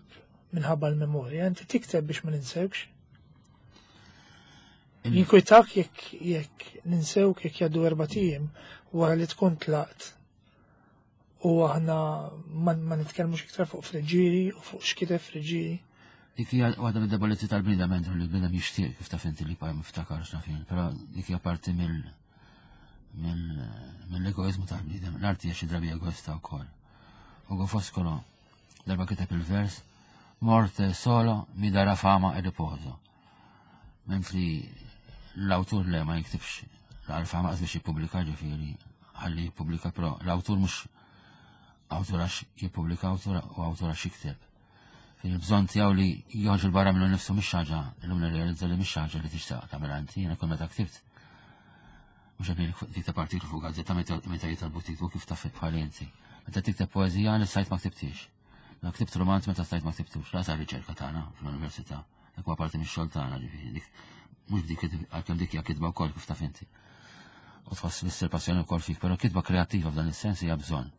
minħabba l-memorja, inti tikteb biex ma ninsewx. Jinkwitak jekk jekk ninsewk jekk jgħaddu erbat ijiem wara li tkun tlaqt u aħna ma ma nitkellmux iktar fuq Friggieri u fuq x'kiteb Friggieri. Dik hija waħda mid-debolezzi tal-bniedem Andrew li l-bniedem jixtieq kif taf inti li jibqa' miftakar x'naf jien, però dik hija parti mill mill-egoizmu tal-bniedem. L-arti hija xi drabi egoista wkoll. Ugo Foscolo darba kiteb il-vers Morte solo mi darà fama e riposo. Mentri l-awtur le ma jiktibx l-fama qas biex jippubblika ġifieri ħalli jippubblika però l-awtur mhux awtur għax jippubblika awtur u awtur għax jikteb. Il-bżonn tiegħu li joħroġ il barra minnu nifsu mhix ħaġa, illum nirrealizza li mhix ħaġa li tixtaq tagħmel inti, jiena kull meta ktibt. Mhux qed tikteb artiklu fuq gazzetta meta jitalbu tiktbu kif taf bħal inti. Meta tikteb poeżija li stajt ma ktibtix. Ma ktibt romanz meta stajt ma ktibtux, la sar riċerka tagħna fl-università. Dak huwa parti mix-xogħol tagħna ġifieri dik mhux dik għalkemm dik hija kitba wkoll kif taf inti. U tħoss li ssir passjoni wkoll fik, però kitba kreattiva f'dan is-sens hija bżonn.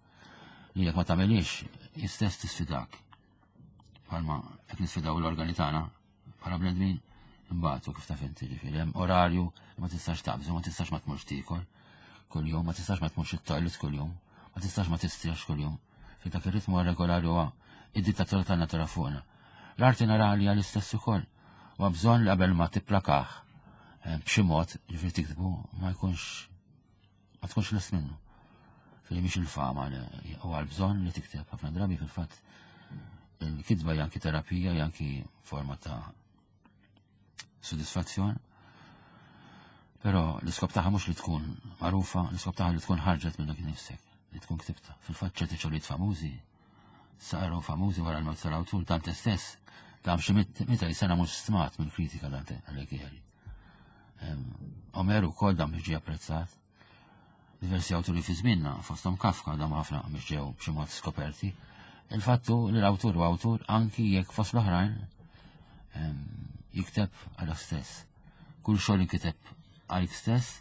Li jekk ma tagħmelix, istess tisfidak. Bħalma qed nisfidaw l-organi tagħna bħala bnedmin imbagħad kif taf inti ġifieri hemm orarju li ma tistax taqbżu, ma tistax ma tmurx tiekol kuljum, ma tistax ma tmurx it-toilet kuljum, ma tistax ma tistrieħx kuljum. Fi dak ir-ritmu regolari huwa id-dittatura tan-natura fuqna. L-arti nara li għal-istess ukoll. U bżonn li qabel ma tipplakah eh, b'xi mod ġifieri tiktbu ma jkunx ma tkunx lest minnu. Fili mhix il-fama li huwa l-bżonn li tikteb ħafna drabi fil-fatt il-kitba hija anki terapija, hija anki forma ta' sodisfazzjon. Però l-iskop tagħha mhux li tkun magħrufa, l-iskop tagħha li tkun ħarġet minnek nifsek, li tkun ktibta. Fil-fatt ċerti xogħlijiet famużi saru famużi wara l-mewt tal-awtur Dante stess, dam xi meta sena mhux stmat mill-kritika Dante Alighieri. Omeru wkoll dam biex ġie apprezzat. Diversi awturi fi żmienna, fosthom Kafka dam ħafna biex ġew b'xi mod skoperti. Il-fattu li l-awtur u awtur anki jekk fost l-oħrajn jikteb għal stess. Kull xogħol inkiteb għalik stess,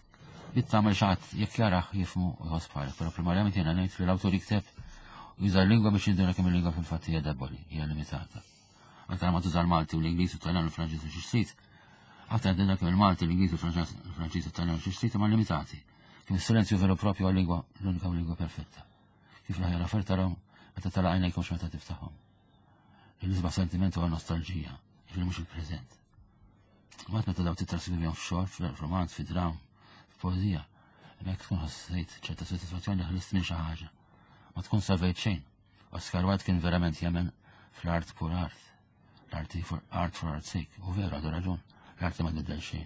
jittamel xaħat jekk jaraħ jifmu u jħoss bħalek. Però primarjament jiena ngħid li l-awtur jikteb u juża l-lingwa biex jinduna kemm il-lingwa fil-fatt hija deboli, hija limitata. Aktar ma tuża l-Malti u l-Ingliż u t-Taljan u l-Franċiż u xi trid, aktar tinduna kemm il-Malti, l-Ingliż u l-Franċiż u t-Taljan u xi trid huma limitati. Kif is-silenzju veru propju għal-lingwa l-unika lingwa perfetta. Kif l-aħjar affarijiet tarahom meta tara għajnejk mhux meta tiftaħhom. Il-isbaħ sentiment huwa nostalġija, jiġifieri mhux il-preżent. Mbagħad meta daw titraskrivihom f'xogħol, f'romanz, fi dram, f'poeżija, hemmhekk tkun ħassejt ċerta sodisfazzjoni li ħlist minn xi ħaġa. Ma tkun salvejt xejn. Oscar Wilde kien verament jemmen fl-art pur art. L-arti for art for art's sake. U veru għadu raġun. L-arti ma tbiddel xejn.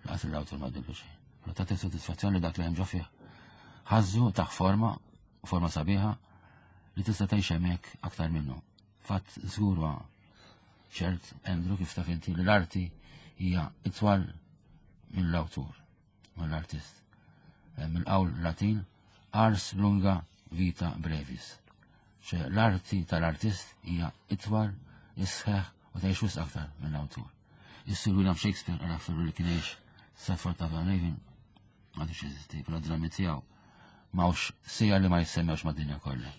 Laqas l-awtur ma tbiddel xejn. Però tagħti sodisfazzjoni li dak li hemm ġo fih. Ħażżu taħ forma, forma sabiħa, li tista' tgħix hemmhekk aktar minnu. Fatt żgur huwa ċert, Andrew, kif taf inti li l-arti hija itwal mill-awtur, mill-artist. Eh, mill-qawl Latin ars lunga vita brevis. ċe l-arti tal-artist hija itwal, isħeħ u tgħix wisq aktar mill-awtur. Is-Sir William Shakespeare għara ferru li kien jgħix Stratford upon Avon, għadu jeżisti, però drammi tiegħu M'hawnx siegħa li ma jissemmewx mad-dinja kollha.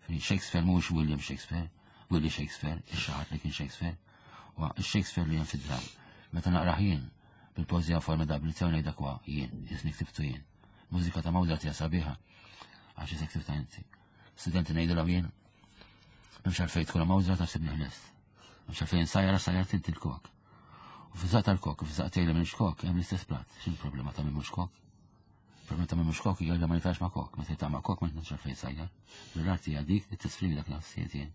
Shakespeare mhux William Shakespeare, Willie Shakespeare, ix-xaħat li kien Shakespeare, u Shakespeare li hemm fid-dram. Meta naqrah jien, bil-poeżija formidabbli tiegħu ngħid dak huwa jien, isni ktibtu jien. Mużika ta' Mozart hija sabiħa, għax isek ktibta inti. Studenti ngħidulhom jien, m'hemmx għalfejn tkun Mozart għax tibni ħlest. M'hemmx għalfejn sajjara sajjart inti l-kok. U fiż tal-kok, u fiż li minn kok, hemm l-istess plat. X'in problema ta' minn mhux kok? Problema ta' minn mhux kok hija li ma jitax ma' kok. Meta jita' ma' kok ma jitnax għalfejn sajjar. L-arti hija dik li tesprimi dak l-ħassijiet jien.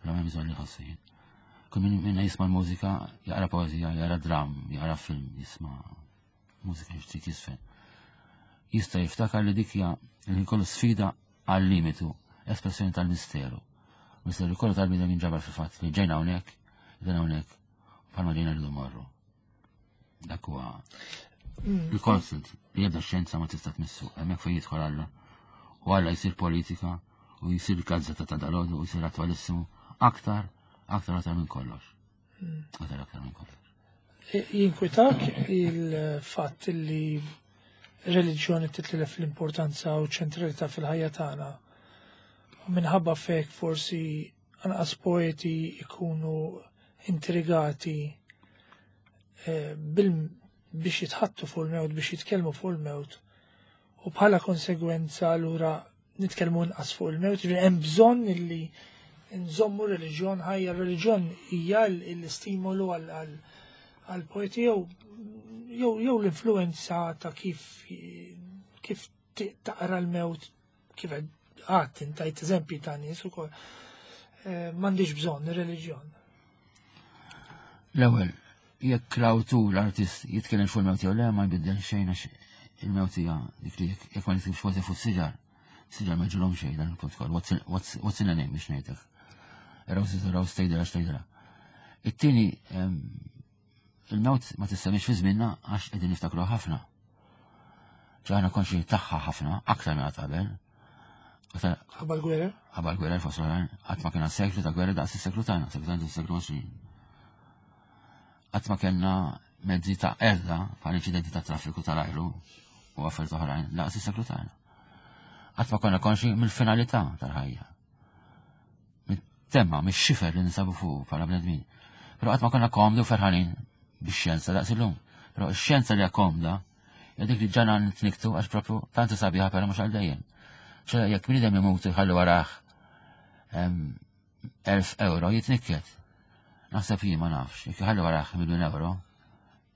La m'hemm bżonn li ħossu jien. Kull min minna jisma' l-mużika, jaqra poeżija, jaqra dram, jaqra film, jisma' mużika xtrid jisfen. Jista' jiftakar li dik hija li kollu sfida għal-limitu, espressjoni tal-misteru. Misteru kollu tal-bniedem jinġabar fil-fatt li ġejna hawnhekk, ġejna hawnhekk, bħalma ġejna rridu morru. Dak huwa il-constant li jebda xjenza ma tista' tmissu, hemmhekk fejn jidħol Alla. U Alla jsir politika u jsir gazzetta ta' dalodu u jsir attualissimu aktar, aktar aktar minn kollox. Aktar aktar minn kollox. Jinkwitak il-fatt li reliġjoni titlef l-importanza u ċentralità fil-ħajja tagħna. U minħabba fek forsi anqas poeti ikunu intrigati eh, bil biex jitħattu fuq il-mewt, biex jitkellmu fuq il-mewt. U bħala konsegwenza allura nitkellmu inqas fuq il-mewt, ġifieri hemm bżonn illi nżommu reliġjon ħajja, reliġjon hija l-istimolu għal poeti jew jew jew l-influenza ta' kif kif taqra l-mewt kif għat intajt eżempji ta' nies ukoll. Eh, m'għandix bżonn ir-reliġjon. L-ewwel, jekk l-awtur l-artist jitkellem fuq il-mewt jew le ma jbiddel xejn għax il-mewt hija dik li jekk ma nitkellmx fuq fuq siġar, siġar ma ġilhom xejn dan il-punt kollu. What's in a name biex ngħidlek. Raw raw stejdra stejdra. It-tieni il-mewt ma tistemmix fi żmienna għax qegħdin niftakru ħafna. Ġaħna konxi tagħha ħafna, aktar minn qabel. Ħabba l-gwerra? Ħabba l-gwerra fost oħrajn, qatt ma kena seklu ta' gwerra daqs is-seklu tagħna, seklu tagħna seklu għoxrin. Qatt ma kellna mezzi ta' erda bħal inċidenti ta' traffiku tal-ajru u affarijiet oħrajn daqs is-seklu tagħna. Qatt ma konna konxi mill-finalità tal-ħajja. Mit-temma, mix-xifer li ninsabu fuq bħala bnedmin. Però qatt ma konna komdi u ferħanin bix-xjenza daqs illum. Però x-xjenza li hija komda, hija dik li ġana nitniktu għax propju tant sabiħa però mhux għal dejjem. ċe jekk bniedem imut jħalli warah elf euro jitnikket. Naħseb jien ma nafx, jekk jħalli warah miljun euro,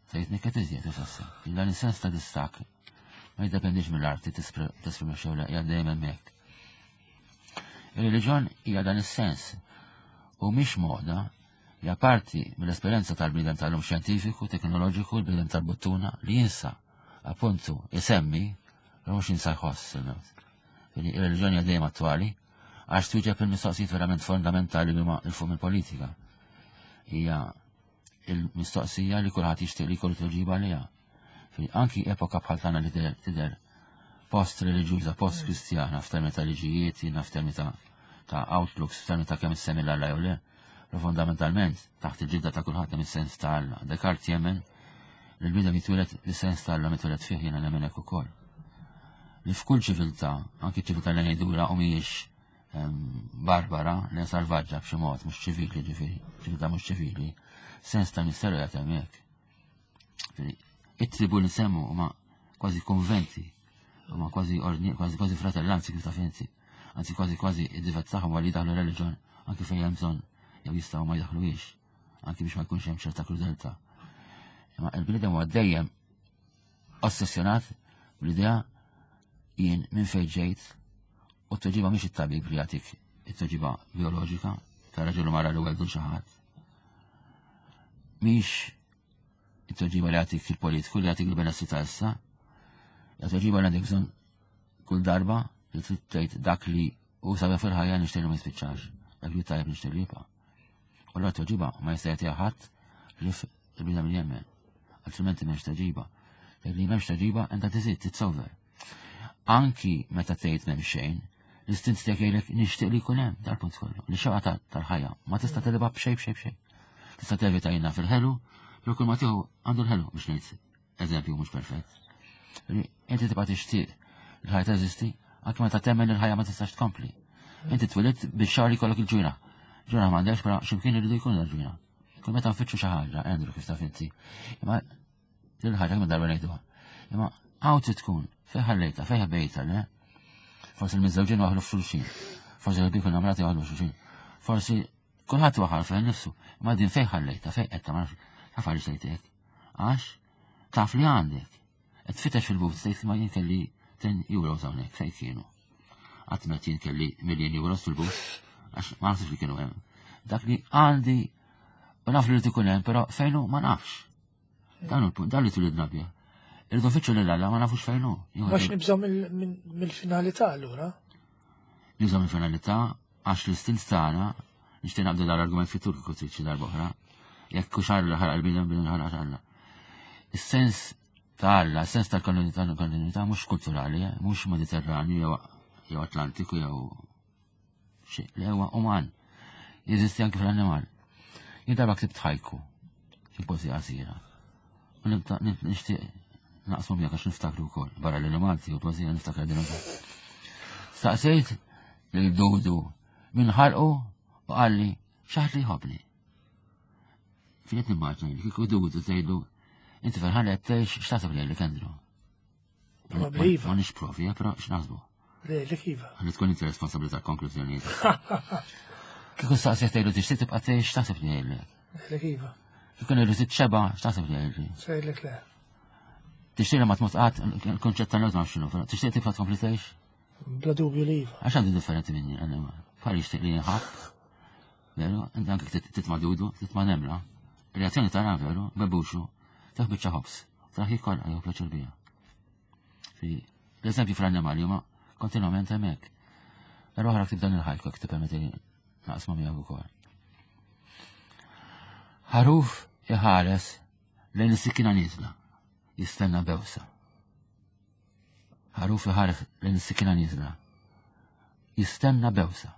se jitnikket iżjed u Dan is-sens ta' distak ma jiddependix mill-arti tesprimi xew hija dejjem hemmhekk. Ir-reliġjon hija dan is-sens u mhix moda hija parti mill-esperjenza tal-bniedem tal-lum xjentifiku, teknoloġiku, l-bniedem tal-buttuna li jinsa appuntu isemmi, però mhux jinsa jħoss il-mewt. Il-reliġjoni hija dejjem attwali għax twieġeb il-mistoqsijiet verament fondamentali li huma il fuq mill-politika. Hija il-mistoqsija li kulħadd jixtieq li jkollu tweġiba għaliha. Anki epoka bħal tagħna li tidher post reliġjuża, post kristjana f'termini ta' liġijiet, jiena f'termini ta' ta' outlooks, f'termini ta' kemm issemmi l-Alla jew le, però fondamentalment taħt il-ġilda ta' kulħadd hemm is-sens ta' Alla. Descartes jemmen li l-bniedem jitwieled bis-sens ta' Alla mitwieled fih jiena nemmen hekk ukoll. Li f'kull ċiviltà, anki ċiviltà li ngħidula u mhijiex barbara, li salvaġġa b'xi mod, mhux ċivili ġifieri, ċiviltà mhux ċivili, sens ta' misteru jagħti hemmhekk. It-tribu li nsemmu huma kważi konventi, huma kważi ordni, kważi kważi fratellanzi kif taf inti. Anzi kważi kważi id-divet tagħhom għal jdaħlu reliġjon anki fejn hemm bżonn jew jistgħu ma jdaħluhiex, anki biex ma jkunx hemm ċerta krudeltà. Imma il-bniedem huwa dejjem ossessjonat bl-idea jien minn fejn ġejt u t-tweġiba mhix it-tabib li jagħtik it-tweġiba bioloġika ta' raġel u mara li weldu xi ħadd. Mhix it-tweġiba li jagħtik il-politiku li jagħtik il-benessri ta' issa, it-tweġiba li għandek bżonn kull darba li trid tgħid dak li hu sabiħ fil-ħajja nixtieq li ma jispiċċax, dak li tajjeb nixtieq li jibqa'. U allura t-tweġiba ma jista' jagħtiha ħadd li il-bniedem li jemmen. Altrimenti m'hemmx tweġiba. Dak li m'hemmx tweġiba inta tiżid, it's over. Anki meta tgħid m'hemm xejn, l-istint tiegħek jgħidlek nixtieq li jkun hemm dal-punt kollu. Li xewqa tal-ħajja ma tista' telibha b'xejn b'xejn b'xejn. Tista' tevita jiena fil-ħelu, jew kull ma tieħu għandu l-ħelu biex ngħid eżempju mhux perfett. Inti tibqa' tixtieq li ħajja teżisti Anki meta temmen il-ħajja ma tistax tkompli. Inti twilidt biex xagħar jkollok il-ġwienaħ. Ġwienaħ m'għandekx, però x'imkien iridu jkun il-ġwienaħ. Kull meta nfittxu xi ħaġa, Andrew, kif taf inti. Imma l-ħaġa kemm darba ngħiduha. Imma hawn trid tkun, fejn ħallejta, fejn ħbejta, le? Forsi l-miżżewġin waħlu f'xulxin. Forsi l-ħbieb namrati waħlu f'xulxin. Forsi kulħadd waħal fejn nifsu. Imma din fejn ħallejta, fejn qed ma nafx. Taf għaliex tgħid hekk. Għax taf li għandek. Qed tfittex fil-but, tgħid ma jien kelli ten euros hawnhekk, fejn kienu. Qatt ma jien kelli miljon euros fil-but, għax ma nafx li kienu hemm. Dak li għandi u naf li ikun hemm, però fejn hu ma nafx. Dan hu l-punt, dan li twilidna bih. Irridu nfittxu lil Alla ma nafux fejn hu. Għax nibżgħu mill-finalità allura. Nibżgħu mill-finalità għax l-istint tagħna, nixtieq naqbdu dal-argument fit-tul kieku trid xi darba oħra. Jekk hux Alla ħalaq il-bniedem, bniedem ħalaq Alla. Is-sens ta' Alla, is-sens tal-kontinuità kontinuità mhux kulturali, eh, mhux Mediterranju jew jew Atlantiku jew xi, li huwa uman. Jeżisti anke fl-annimal. Jien darba ktibt ħajku, xi poeżija qasira. U nibda nixtieq naqsmu miegħek għax niftakru wkoll. Barra li Malti u poeżija niftakar din ukoll. Staqsejt lil Dudu min ħalqu u qalli xi ħadd li jħobbni. Finet nimmaġna li kieku Dudu tgħidlu inti ferħan li qed tgħix, x'taħseb li jgħidlek, Andrew? Probabbli iva. Ma nix provi, eh, però x'naħsbu? Le, li iva. Ħalli tkun inti responsabbli tal-konklużjonijiet. Kieku staqsejt tgħidlu tixtieq tibqa' tgħix, x'taħseb li jgħidlek? Le, iva. Kieku ngħidlu titxeba', x'taħseb li jgħidli? Sejlek le. Tixtieq li ma tmut qatt, il-konċett tal-mewt ma nafx x'inhu, però tixtieq tibqa' tkompli tgħix? Bla dubju li iva. Għax għandu differenti minni, għandu. Bħal jixtieq li jinħabb. Veru, inti anke titma' dudu, titma' nemla. Reazzjoni tara veru, bebuxu, taħ biċċa ħobż, taħ jkollha jew pjaċir biha. Fi l-eżempju fl-annimali huma kontinwament hemmhekk. Darba oħra ktib dan il-ħajku jekk tippermetti naqsma miegħek ukoll. Ħaruf iħares lejn is-sikkina nieżla, jistenna bewsa. Ħaruf iħares lejn is-sikkina nieżla, jistenna bewsa.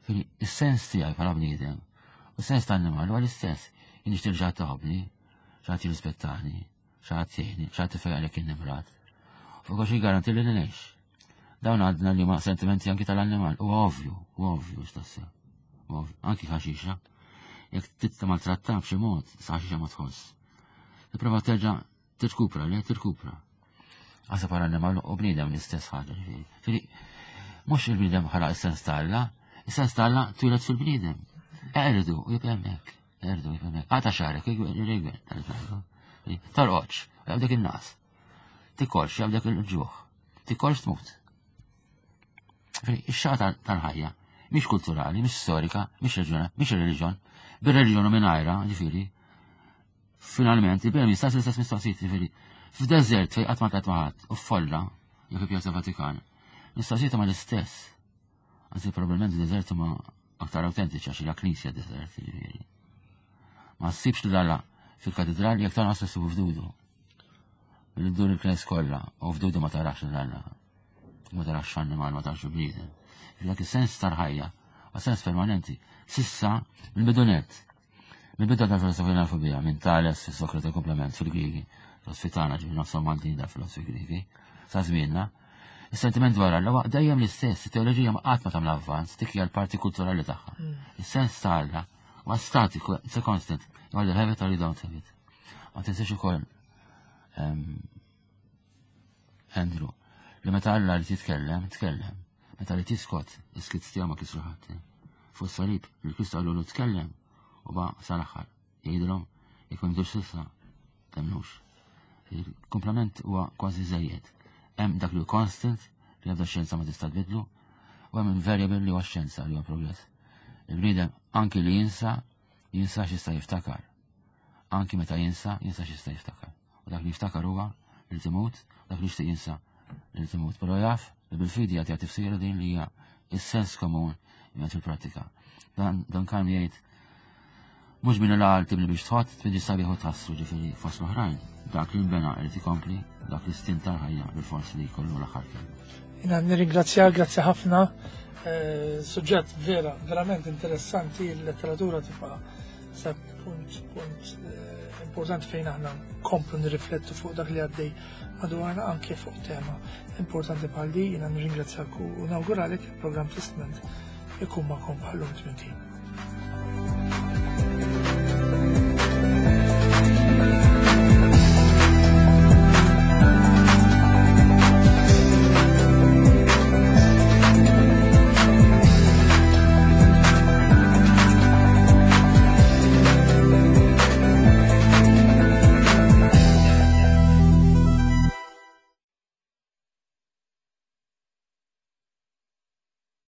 Fili, is-sens tiegħi bħala bniedem u s-sens ta' annimal huwa l-istess. Jien nixtieq xi ħadd taħobni, xi ħadd jirrispettani, xi ħadd jgħinni, xi ħadd ifejjaq jekk nimrad. Fuq kollox jiggaranti li ngħix. Dawn għadna li ma sentimenti anki tal-annimal. U ovvju, u ovvju x'tassew. Ovvju, anki ħaxixa. Jekk tista' maltratta b'xi mod, sa ħaxixa ma tħoss. Tipprova terġa' tirkupra, le tirkupra. Għasa para annimal u bniedem l-istess ħaġa, ġifieri. Ġifieri, mhux il-bniedem ħalaq is-sens ta' Alla, is-sens ta' Alla twieled fil-bniedem. Erdu, u jibqa' hemmhekk. Erdu, jibqa' hemmhekk. Għata xagħrek, jgħid, torqodx, jaqbdek in-ngħas. Tikolx, jaqbdek il-ġuħ. Tikolx tmut. Ġifieri, ix-xagħa tal-ħajja mhix kulturali, mhix storika, mhix reġjona, mhix reliġjon. Bir-reliġjon u mingħajrha, ġifieri, finalment, il-bniedem jistaqsi l-istess mistoqsijiet, ġifieri, f'deżert fejn qatt ma tlaqt ma' ħadd u f'folla, jew fi Pjazza Vatikan, mistoqsijiet huma l-istess. Anzi, probabbilment deżert huma aktar autentiċi għax hija knisja deżert, ġifieri. Ma ssibx lil Alla fil-katedral jekk tanqas issibu f'dudu. Billi ddur il-knis kollha u f'dudu ma tarax lil Alla. Ma tarax annimal, ma tarax bniedem. Dak is-sens tal-ħajja, u sens permanenti. Sissa, mill-bidunet, mill-bidu tal-filosofija l-alfabija, minn Tales, Sokrate komplement fil-Grigi, filosofi tagħna ġifieri nofshom Maltin da filosofi Grigi, sa żmienna, is-sentiment dwar Alla huwa dejjem l-istess, it-teoloġija ma qatt ma tagħmel avvanz, dik hija l-parti kulturali tagħha. Is-sens ta' Alla huwa statiku, it's a constant. You either have it or you don't have it. Ma tinsiex ukoll ehm, Andrew, li meta Alla li titkellem, tkellem. Meta li tiskot, is-skiet tiegħu ma kisru ħadd. Fuq salib, li Kristu qallu tkellem u ba sal-aħħar. Jgħidilhom jekk ma jmdux s'issa, temnux. Il-komplement huwa kważi żejjed. Hemm dak li hu constant, li ebda xjenza ma tista' tbidlu, u hemm il-variable li huwa xjenza li huwa progress. Il-bniedem anki li jinsa, jinsa x'jista' jiftakar. Anki meta jinsa, jinsa x'jista' jiftakar. U dak li jiftakar huwa li timut, dak li jixtieq jinsa li timut. Però jaf li bil-fidi jagħti tifsira din li hija is-sens komun jgħid fil-prattika. Dan dan kan jgħid mhux minn l-għal tibni biex tħott, tbini sabiħ u tħassru, ġifieri fost l-oħrajn. Dak li nbena irid ikompli, dak li stint tal-ħajja bil-fors li jkollu l-aħħar kelma. Jiena nirringrazzjak, grazzi ħafna. Eh, Suġġett vera, verament interessanti, il-letteratura tibqa' Sab punt, punt eh, importanti fejn aħna komplu nirriflettu fuq dak li għaddej madwarna anke fuq tema importanti bħal di. Jiena nirringrazzjak u nawguralek il-programm Testment ikun magħkom bħallum tmien.